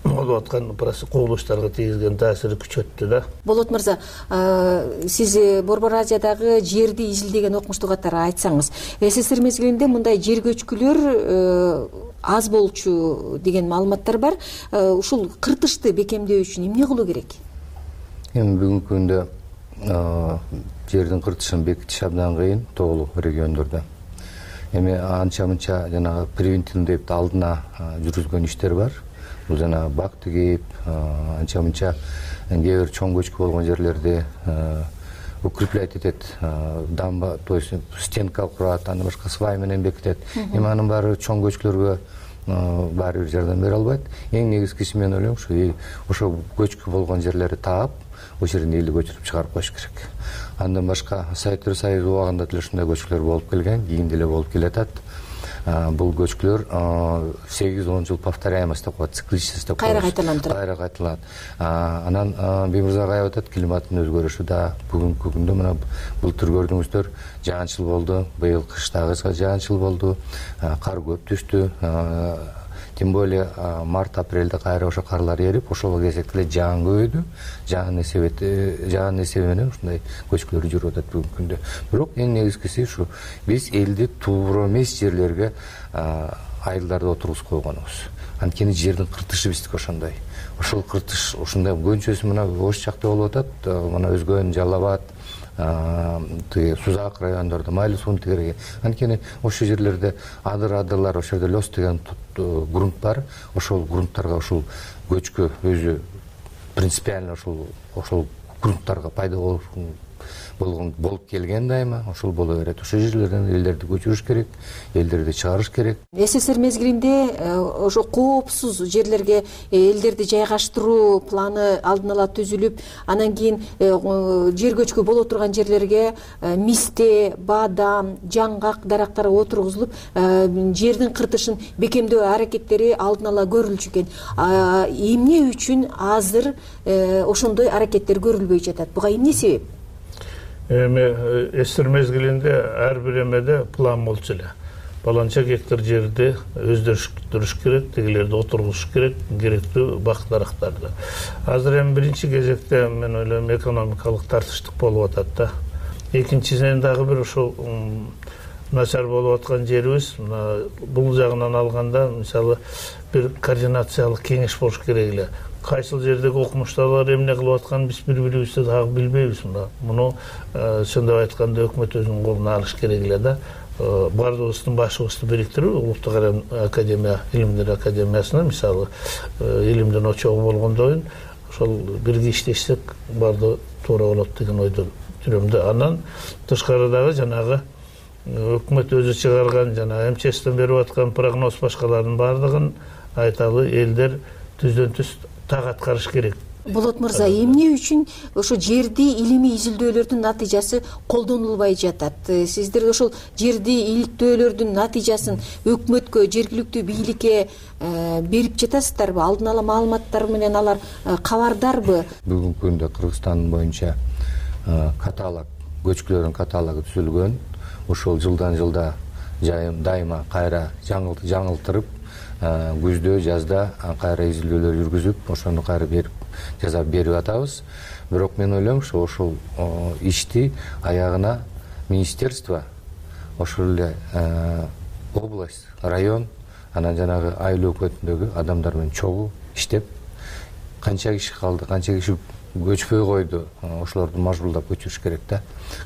болуп аткан кубулуштарга тийгизген таасири күчөттү да. Болот мырза, сиз Борбор Азиядагы жерди изилдеген окумуштуу катары айтсаңыз, СССР мезгилинде мындай жер көчкүлөр аз болчу деген маалыматтар бар. Ушул кыртышты бекемдөө үчүн эмне кылуу керек? Эми бүгүнкү күндө жердин кыртышын бекитиш абдан кыйын тоолуу региондордо. Эми анча-мынча жанагы превентивдүү деп алдына жүргүзгөн иштер бар. Бул жана бак тигип, анча-мынча кээ бир чоң көчкү болгон жерлерде укреплять этет, дамба, то есть стенка курат, аны башка свай менен бекитет. Эми анын баары чоң көчкүлөргө баары бир жардам бере албайт. Эң негизгиси мен ойлойм, ушу ошо көчкү болгон жерлерди таап, ошол жерден элди көчүрүп чыгарып коюш керек. Андан башка Советтер Союзу убагында деле ушундай көчкүлөр болуп келген, кийин деле болуп келатат. Бул көчкүлөр сегиз он жыл повторяемость деп коет, цикличность деп коет. Кайра кайталанып турат. Кайра кайталанат. Анан Беймирзагай айтат, климаттын өзгөрүшү да бүгүнкү күндө мына былтыр көрдүңүздөр, жаанчыл болду, быйыл кыштагы жаанчыл болду, кар көп түштү. Тем более март апрелде кайра ошо карлар эрип, ошол кезекте эле жаан көбөйдү. Жаан эсеби жаан эсеби менен ушундай көчкүлөр жүрүп атат бүгүнкү күндө. Бирок эң негизгиси ушу биз элди туура эмес жерлерге айылдарды отургузуп койгонубуз. Анткени жердин кыртышы биздики ошондой. Ошол кыртыш ушундай көнчөсү мына Ош жакта болуп атат, мына Өзгөн, Жалал Абад, Сузак райондордо Майлы суун тигерге. Анткени ошол жерлерде адыр-адырлар, ошол жерде лёс деген грунт бар. Ошол грунттарга ушул көчкү өзү принципиально ошол ошол грунттарга пайда болуп болгон болуп келген дайыма, ошол боло берет. Ошол жерлерден элдерди көчүрүш керек, элдерди чыгарыш керек. СССР мезгилинде ошо коопсуз жерлерге элдерди жайгаштыруу планы алдын ала түзүлүп, анан кийин жер көчкү боло турган жерлерге мисте, баадам, жаңгак дарактар отургузулуп, жердин кыртышын бекемдөө аракеттери алдын ала көрүлчү экен. Эмне үчүн азыр ошондой аракеттер көрүлбөй жатат? Буга эмне себеп? эми эстер мезгилинде ар бир эмеде план болчу эле. Баланча гектар жерди өздөрүш керек, тегилерди отургузуш керек, керектүү бак дарактарды. Азыр эми биринчи кезекте мен ойлойм экономикалык тартыштык болуп атат да. Экинчиден дагы бир ошол начар болуп аткан жерибиз, бул жагынан алганда, мисалы, бир координациялык кеңеш болуш керек эле. Кайсыл жердеги окумуштуулар эмне кылып атканын биз бири-бирибизди дагы билбейбиз. Муну чындап айтканда өкмөт өзүнүн колуна алыш керек эле да. Бардыгыбыздын башыбызды бириктирип, Улуттук академия, илимдер академиясына, мисалы, илимдин очогу болгондойн, ошол бирге иштешсек бардыгы туура болот деген ойдо жүрөм да. Анан тышкарыдагы жанагы өкмөт өзү чыгарган жана эм че эстен берип аткан прогноз башкалардын бардыгын айталы элдер түздөн түз так аткарыш керек. Болот мырза, эмне үчүн ошо жерди илимий изилдөөлөрдүн натыйжасы колдонулбай жатат? Сиздер ошол жерди иликтөөлөрдүн натыйжасын өкмөткө, жергиликтүү бийликке берип жатасыздарбы? Алдын ала маалыматтар менен алар кабардарбы? Бүгүнкү күндө Кыргызстан боюнча каталог, көчкүлөрдүн каталогу түзүлгөн. Ошол жылдан жылда дайыма кайра жаңылтырып, күздө, жазда кайра изилдөөлөр жүргүзүп, ошону кайра берип жазап берип атабыз. Бирок мен ойлойм, ошол ишти аягына министерство, ошол эле область, район, анан жанагы айыл өкмөтүндөгү адамдар менен чогуу иштеп, канча киши калды, канча киши көчпөй койду, ошолорду мажбурлап көчүрүш керек да.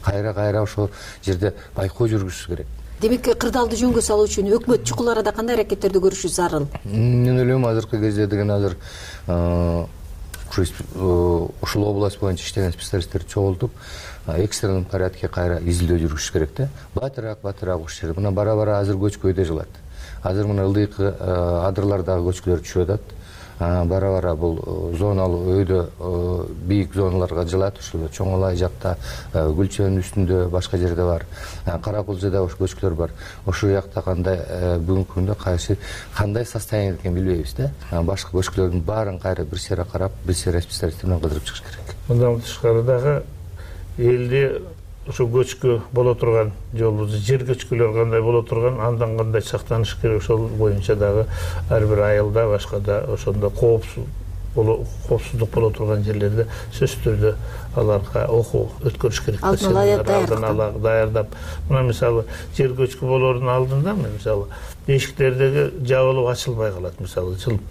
Кайра-кайра ошол жерде байкоо жүргүзүш керек. Демек, кырдаалды жөнгө салуу үчүн өкмөт чукул арада кандай аракеттерди көрүшү зарыл? Мен ойлойм, азыркы кезде деген азыр ушул область боюнча иштеген специалисттерди чогултуп, экстренный порядке кайра изилдөө жүргүзүш керек да. Батыраак, батыраак ушул жерде. Мына бара-бара азыр көчкөйдө жылат. Азыр мына ылдыйкы адырлардагы көчкүлөр түшүп атат. Бара-бара бул зоналуу өйдө бийик зоналарга жылат. Ушул Чоңолай жакта, Гүлчөнүн үстүндө, башка жерде бар. Каракулжада ошо көчкүлөр бар. Ошол жакта кандай бүгүнкү күндө кайсы кандай состояние экенин билбейбиз да. Башка көчкүлөрдүн баарын кайра бир сыйра карап, бир сыйра специалисттер менен кыдырып чыгыш керек. Мындан тышкарыдагы элди ошо көчкү боло турган жолубузду, жер көчкүлөр кандай боло турган, андан кандай сактаныш керек, ошол боюнча дагы ар бир айылда, башкада ошондо коопсуз коопсуздук боло турган жерлерде сөзсүз түрдө аларга окуу өткөрүш керек. Алдын ала даярдап, мына мисалы жер көчкү болоордун алдында мисалы эшиктердеги жабылып ачылбай калат, мисалы жылып.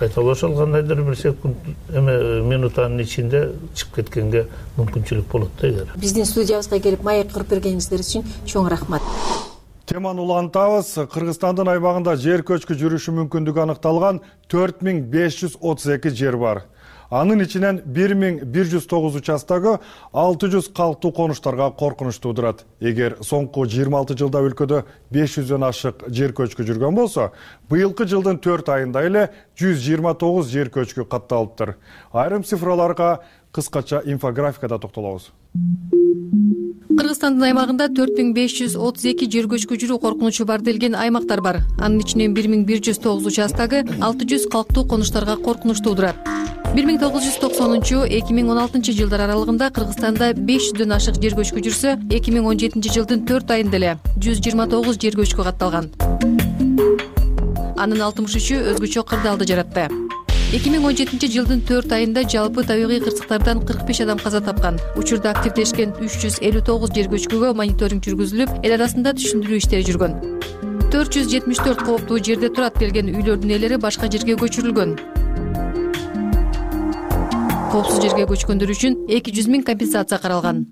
Айталы ошол кандайдыр бир секунд эме минутанын ичинде чыгып кеткенге мүмкүнчүлүк болот да эгер. Биздин студиябызга келип маек кырып бергениңиздер үчүн чоң рахмат. Теманы улантабыз. Кыргызстандын аймагында жер көчкү жүрүшү мүмкүндүгү аныкталган төрт миң беш жүз отуз эки жер бар. Анын ичинен бир миң бир жүз тогуз участогу алты жүз калктуу конуштарга коркунуч туудурат. Эгер соңку жыйырма алты жылда өлкөдө беш жүздөн ашык жер көчкү жүргөн болсо, быйылкы жылдын төрт айында эле жүз жыйырма тогуз жер көчкү катталыптыр. Айрым цифраларга кыскача инфографикада токтолобуз. Кыргызстандын аймагында төрт миң беш жүз отуз эки жер көчкү жүрүү коркунучу бар делген аймактар бар. Анын ичинен бир миң бир жүз тогуз участогу алты жүз калктуу конуштарга коркунуч туудурат. бир миң тогуз жүз токсонунчу эки миң он алтынчы жылдар аралыгында Кыргызстанда беш жүздөн ашык жер көчкү жүрсө, эки миң он жетинчи жылдын төрт айында эле жүз жыйырма тогуз жер көчкү катталган. Анын алтымыш үчү өзгөчө кырдаалды жаратты. эки миң он жетинчи жылдын төрт айында жалпы табигый кырсыктардан кырк беш адам каза тапкан. Учурда активдешкен үч жүз элүү тогуз жер көчкүгө мониторинг жүргүзүлүп, эл арасында түшүндүрүү иштери жүргөн. төрт жүз жетимиш төрт кооптуу жерде турат делген үйлөрдүн ээлери башка жерге көчүрүлгөн. Коопсуз жерге көчкөндөр үчүн эки жүз миң компенсация каралган.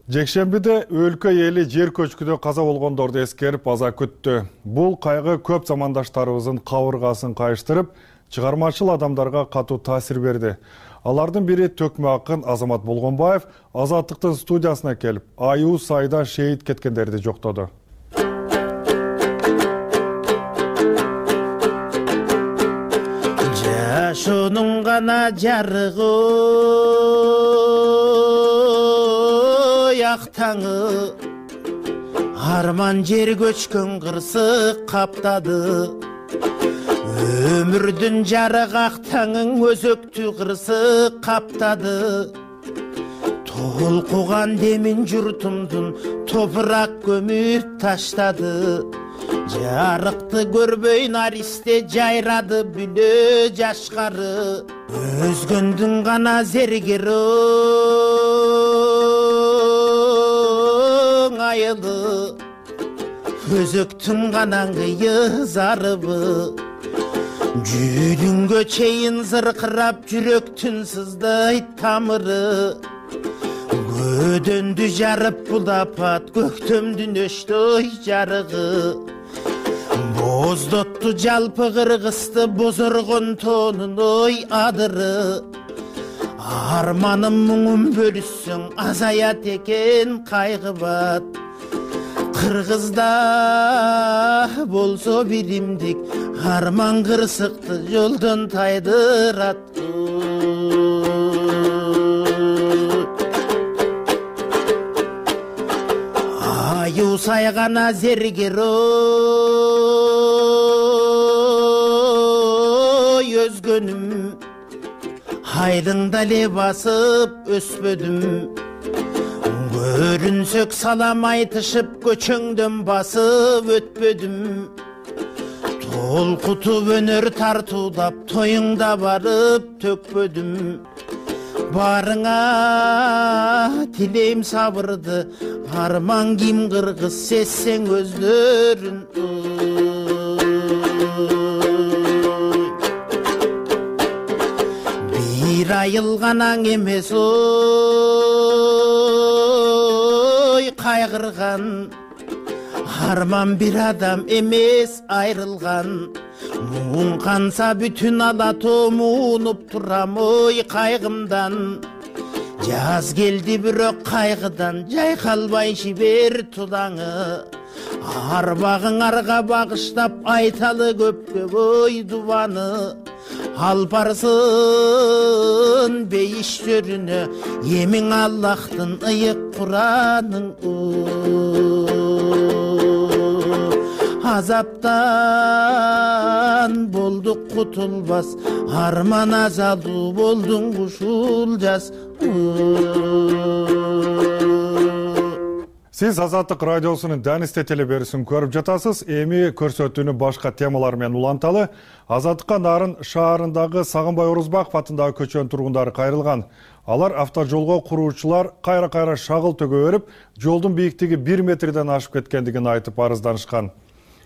Жекшембиде өлкө эли жер көчкүдө каза болгондорду эскерип аза күттү. Бул кайгы көп замандаштарыбыздын кабыргасын кайыштырып, чыгармачыл адамдарга катуу таасир берди. Алардын бири төкмө акын Азамат Болгонбаев Азаттыктын студиясына келип, аюу сайда шейит кеткендерди жоктоду. Жашоонун гана жарыгы яктаңы, арман жер көчкөн кырсык каптады. Өмүрдүн жарык актаңың өзөктү кырсык каптады. толкуган демин журтумдун топурак көмүп таштады. Жарыкты көрбөй наристе жайрады бүлө жашкары. Өзгөндүн гана зергероң айылы, өзөктүн гана ыңгыйы зарыбы. Жүйдүнгө чейин зыркырап жүрөктүн сыздайт тамыры. Көдөндү жарып булапат көктөмдүн өчтөй жарыгы. Боздотту жалпы кыргызды бозоргон тонун ой адыры. Арманым муңум бөлүшсөң азаят экен кайгыбат. Кыргызда болсо биримдик арман кырсыкты жолдон тайдырат. Аю сайгана зергерой өзгөнүм, айдыңда эле басып өспөдүм. Көрүнсөк салам айтышып көчөңдөн басып өтпөдүм. Толкутуп өнөр тартуулап тоюңда барып төкпөдүм. Барыңа тилейм сабырды, арман ким кыргыз сезсең өздөрүн. Бир айылганаң эмес ой кайгырган, арман бир адам эмес айрылган. Муң канса бүтүн ала томунуп турам ой кайгымдан. Жаз келди бирок кайгыдан жайкалбай жибер тулаңы. Арбагыңарга багыштап айталы көпкө ой дубаны. Алпарсын бейиштөрүнө эмиң Аллахтын ыйык Куранын. Азаптан болдук кутулбас, арман азалуу болдуң ушул жаз. Сиз Азаттык радиосунун Данисте телеберүүсүн көрүп жатасыз. Эми көрсөтүүнү башка темалар менен уланталы. Азаттыкка Нарын шаарындагы Сагынбай Орузбаков атындагы көчөнүн тургундары кайрылган. Алар автожолго куруучулар кайра-кайра шагыл төгө берип, жолдун бийиктиги бир метрден ашып кеткендигин айтып арызданышкан.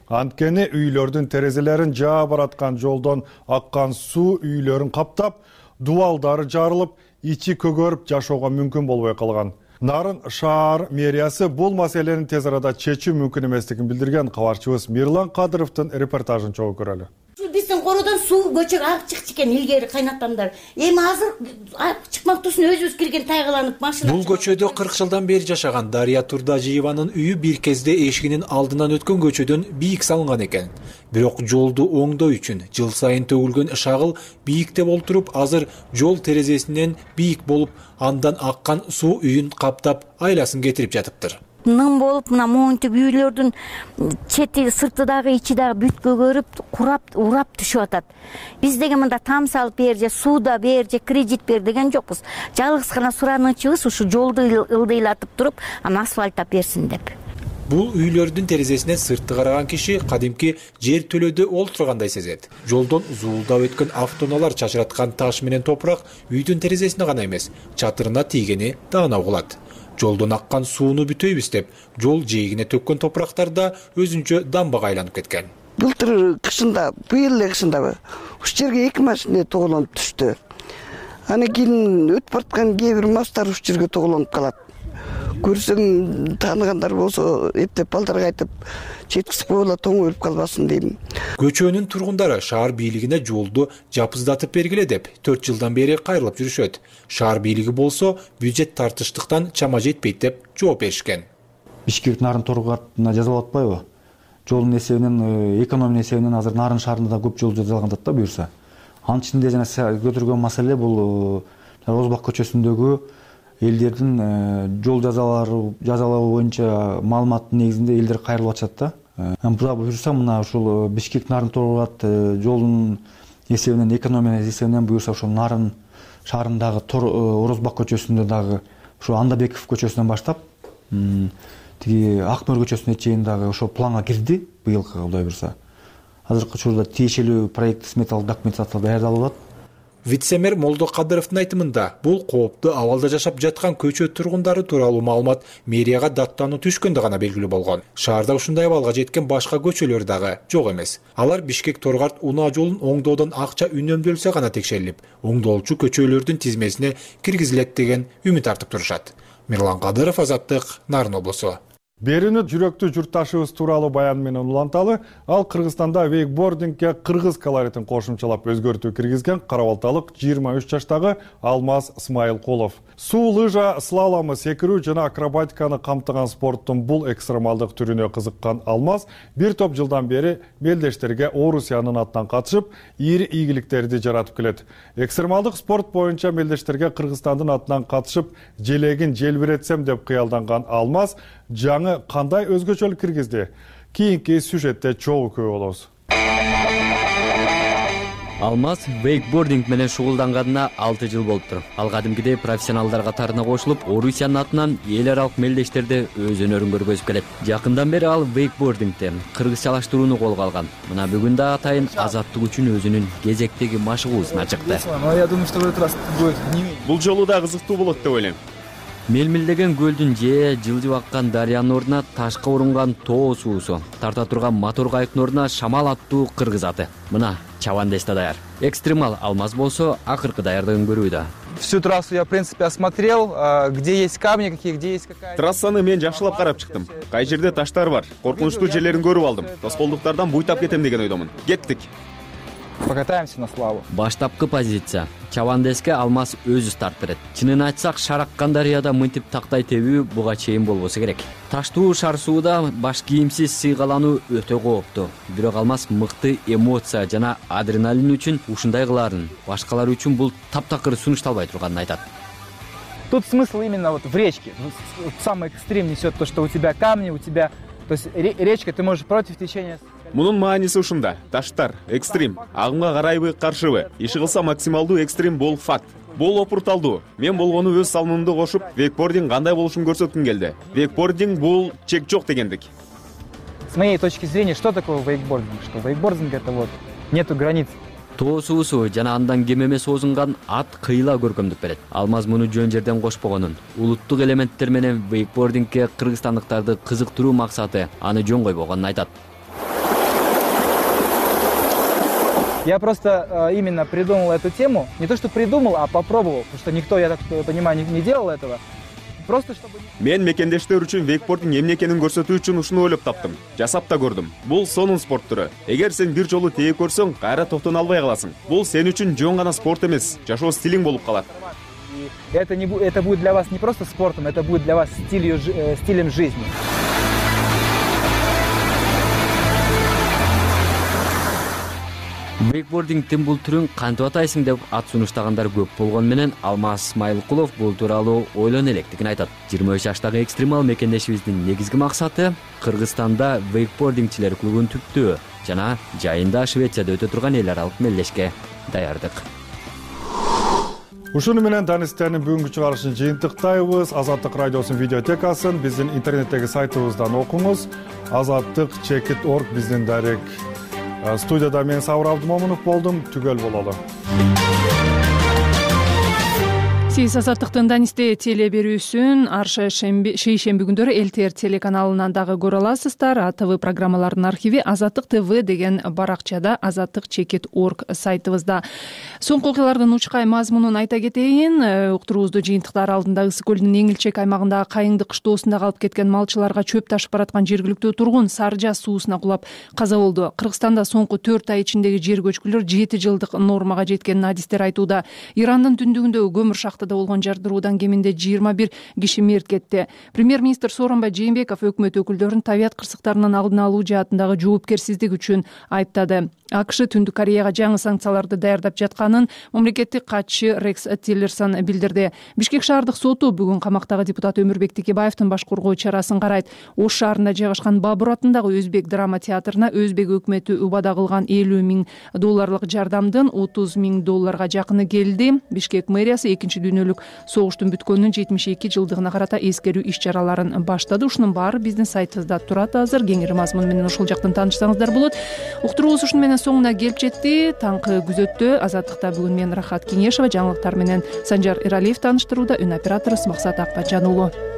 Анткени үйлөрдүн терезелерин жаа бараткан жолдон аккан суу үйлөрүн каптап, дубалдары жарылып, ичи көгөрүп жашоого мүмкүн болбой калган. Нарын шаар мэриясы бул маселени тез арада чечүү мүмкүн эместигин билдирген. Кабарчыбыз Мирлан Кадыровдун репортажын чогуу көрөлү. Биздин кородон суу көчөгө агып чыкчу экен илгери кайнатамдар. Эми азыр агып чыкмактуусун өзүбүз кирген тайгаланып машина. Бул көчөдө кырк жылдан бери жашаган Дария Турдажиеванын үйү бир кезде эшигинин алдынан өткөн көчөдөн бийик салынган экен. Бирок жолду оңдоо үчүн жыл сайын төгүлгөн шагыл бийикте болтуруп, азыр жол терезесинен бийик болуп, андан аккан суу үйүн каптап, айласын кетирип жатыптыр. Ным болуп, мына моунтип үйлөрдүн чети, сырты дагы, ичи дагы бүт көгөрүп, курап, урап түшүп атат. Биз деген мында там салып бер же сууда бер же кредит бер деген жокпуз. Жалгыз гана суранычыбыз ушу жолду ылдыйлатып туруп, анан асфальттап берсин деп. Бул үйлөрдүн терезесинен сыртты караган киши кадимки жер төлөдө олтургандай сезет. Жолдон зуулдап өткөн автоунаалар чачыраткан таш менен топурак үйдүн терезесине гана эмес, чатырына тийгени даана угулат. Жолдон аккан сууну бүтөйбүз деп, жол жээгине төккөн топурактар да өзүнчө дамбага айланып кеткен. Былтыр кышында, быйыл эле кышында ушул жерге эки машина тоголонуп түштү. Анан кийин өтүп бараткан кээ бир мастар ушул жерге тоголонуп калат. Көрсөм, тааныгандар болсо эптеп балдарга айтып, жеткизип койгула, тоң өлүп калбасын дейм. Көчөнүн тургундары шаар бийлигине жолду жапыздатып бергиле деп төрт жылдан бери кайрылып жүрүшөт. Шаар бийлиги болсо бюджет тартыштыктан чама жетпейт деп жооп беришкен. Бишкек Нарын торгуатына жазалап атпайбы? Жолдун эсебинен, экономия эсебинен азыр Нарын шаарында да көп жол жасалган да буюрса. Анын ичинде жана көтөргөн маселе бул Орузбак көчөсүндөгү элдердин жол жазалары жазалоо боюнча маалыматтын негизинде элдер кайрылып атышат да. Буга буюрса мына ушул Бишкек Нарын торгуат жолдун эсебинен, экономия эсебинен буюрса ошол Нарын шаарындагы Орузбак көчөсүндө дагы ошо Андабеков көчөсүнөн баштап тиги Ак мөр көчөсүнө чейин дагы ошол планга кирди быйылкы, Кудай буюрса. Азыркы учурда тиешелүү проект сметалык документация даярдалып атат. Вице-мэр Молдокадыровдун айтымында бул кооптуу абалда жашап жаткан көчө тургундары тууралуу маалымат мэрияга даттануу түшкөндө гана белгилүү болгон. Шаарда ушундай абалга жеткен башка көчөлөр дагы жок эмес. Алар Бишкек-Торгарт унаа жолун оңдоодон акча үнөмдөлсө гана текшерилип, оңдолчу көчөлөрдүн тизмесине киргизилет деген үмүт артып турушат. Мирлан Кадыров, Азаттык, Нарын облусу. Берүүнү жүрөктүү журтташыбыз тууралуу баян менен уланталы. Ал Кыргызстанда вейкбордингге кыргыз колоритин кошумчалап өзгөртүү киргизген карабалталык жыйырма үч жаштагы Алмаз Смайылкулов. Суу, лыжа, слаломы, секирүү жана акробатиканы камтыган спорттун бул экстремалдык түрүнө кызыккан Алмаз бир топ жылдан бери мелдештерге Орусиянын атынан катышып, ийри ийгиликтерди жаратып келет. Экстремалдык спорт боюнча мелдештерге Кыргызстандын атынан катышып, желегин желбиретсем деп кыялданган Алмаз жаңы кандай өзгөчөлүк киргизди? Кийинки сюжетте чогуу көрө болобуз. Алмаз вейкбординг менен шугулданганына алты жыл болуптур. Ал кадимкидей профессионалдар катарына кошулуп, Орусиянын атынан эл аралык мелдештерде өз өнөрүн көргөзүп келет. Жакындан бери ал вейкбордингде кыргызчалаштырууну колго алган. Мына бүгүн да атайын азаттык үчүн өзүнүн кезектеги машыгуусуна чыкты. Бул жолу да кызыктуу болот деп ойлойм. Мелмилдеген көлдүн же жылжып аккан дарыянын ордуна ташка урунган тоо суусу, тарта турган мотор кайыктын ордуна шамал аттуу кыргыз аты. Мына Чавандес да даяр. Экстремал Алмаз болсо акыркы даярдыгын көрүүдө. Всю трассу я, в принципе, осмотрел, где есть камни, какие, где есть какая. Трассаны мен жакшылап карап чыктым. Кай жерде таштар бар, коркунучтуу жерлерин көрүп алдым. Тоскоолдуктардан буйтап кетем деген ойдомун. Кеттик. Покатаемся на славу. Баштапкы позиция. Чавандеске Алмаз өзү старт берет. Чынын айтсак, шараккан дарыяда мынтип тактай тебүү буга чейин болбосо керек. Таштуу шар сууда баш кийимсиз сыйгалануу өтө кооптуу. Бирок Алмаз мыкты эмоция жана адреналин үчүн ушундай кылаарын, башкалар үчүн бул таптакыр сунушталбай турганын айтат. Тут смысл именно вот в речке. Самый экстрим несет то, что у тебя камни, у тебя, то есть речка, ты можешь против течения. Мунун мааниси ушунда. Таштар, экстрим, агымга карайбы, каршыбы, иши кылса максималдуу экстрим бул факт. Бул опурталдуу. Мен болгону өз салымымды кошуп, вейкбординг кандай болушун көрсөткүм келди. Вейкбординг бул чек жок дегендик. С моей точки зрения, что такое вейкбординг? Что вейкбординг это вот нету границ. Тоо суусу жана андан кем эмес озунган ат кыйла көркөмдүк берет. Алмаз муну жөн жерден кошпогонун, улуттук элементтер менен вейкбордингге кыргызстандыктарды кызыктыруу максаты аны жөн койбогонун айтат. Я просто э, именно придумал эту тему, не то что придумал, а попробовал, потому что никто, я так понимаю, не, не делал этого. Просто чтобы... Мен мекендештер үчүн вейкбординг эмне экенин көрсөтүү үчүн ушуну ойлоп таптым. Жасап да көрдүм. Бул сонун спорт түрү. Эгер сен бир жолу тээп көрсөң, кайра токтоно албай каласың. Бул сен үчүн жөн гана спорт эмес, жашоо стилиң болуп калат. Это не это будет для вас не просто спортом, это будет для вас стилью, э, стилем жизни. Вейкбордингдин бул түрүн кантип атайсың деп ат сунуштагандар көп болгону менен Алмаз Смайылкулов бул тууралуу ойлоно электигин айтат. жыйырма үч жаштагы экстремал мекендешибиздин негизги максаты Кыргызстанда вейкбордингчилер клубун түптөө жана жайында Швецияда өтө турган эл аралык мелдешке даярдык. Ушуну менен Данистенин бүгүнкү чыгарышын жыйынтыктайбыз. Азаттык радиосунун видеотекасын биздин интернеттеги сайтыбыздан окуңуз. Азаттык чекит точка орг биздин дарек. Студияда мен Сабыр Абдымомунов болдум. Түгөл бололу. Сиз Азаттыктын Данисте теле берүүсүн ар шейшемби күндөрү эл ти эр телеканалынан дагы көрө аласыздар. А Т В программаларынын архиви Азаттык Т В деген баракчада, азаттык чекит точка орг сайтыбызда. Соңку окуялардын учкай мазмунун айта кетейин. Уктуруубузду жыйынтыктар алдында Ысык көлдүн Эңилчек аймагындагы Кайыңды кыштоосунда калып кеткен малчыларга чөп ташып бараткан жергиликтүү тургун Саржа суусуна кулап каза болду. Кыргызстанда соңку төрт ай ичиндеги жер көчкүлөр жети жылдык нормага жеткенин адистер айтууда. Ирандын түндүгүндөгү көмүр шахтада болгон жардыруудан кеминде жыйырма бир киши мерт кетти. Премьер-министр Сооронбай Жээнбеков өкмөт өкүлдөрүн табият кырсыктарынын алдын алуу жаатындагы жоопкерсиздик үчүн айыптады. акш Түндүк Кореяга жаңы санкцияларды даярдап жатканын мамлекеттик катчы Рекс Тиллерсон билдирди. Бишкек шаардык соту бүгүн камактагы депутат Өмүрбек Текебаевдин баш коргоо чарасын карайт. Ош шаарында жайгашкан Бабур атындагы Өзбек драма театрына Өзбек өкмөтү убада кылган элүү миң долларлык жардамдын отуз миң долларга жакыны келди. Бишкек мэриясы экинчи дүйнөлүк согуштун бүткөнүнүн жетимиш эки жылдыгына карата эскерүү иш чараларын баштады. Ушунун баары биздин сайтыбызда турат азыр. Кеңири мазмун менен ушул жактан таанышсаңыздар болот. Уктуруубуз ушуну менен соңуна келип жетти. Таңкы күзөттө Азаттыкта бүгүн мен Рахат Кеңешова, жаңылыктар менен Санжар Иралиев тааныштырууда, үн оператору Максат Акбатжан уулу.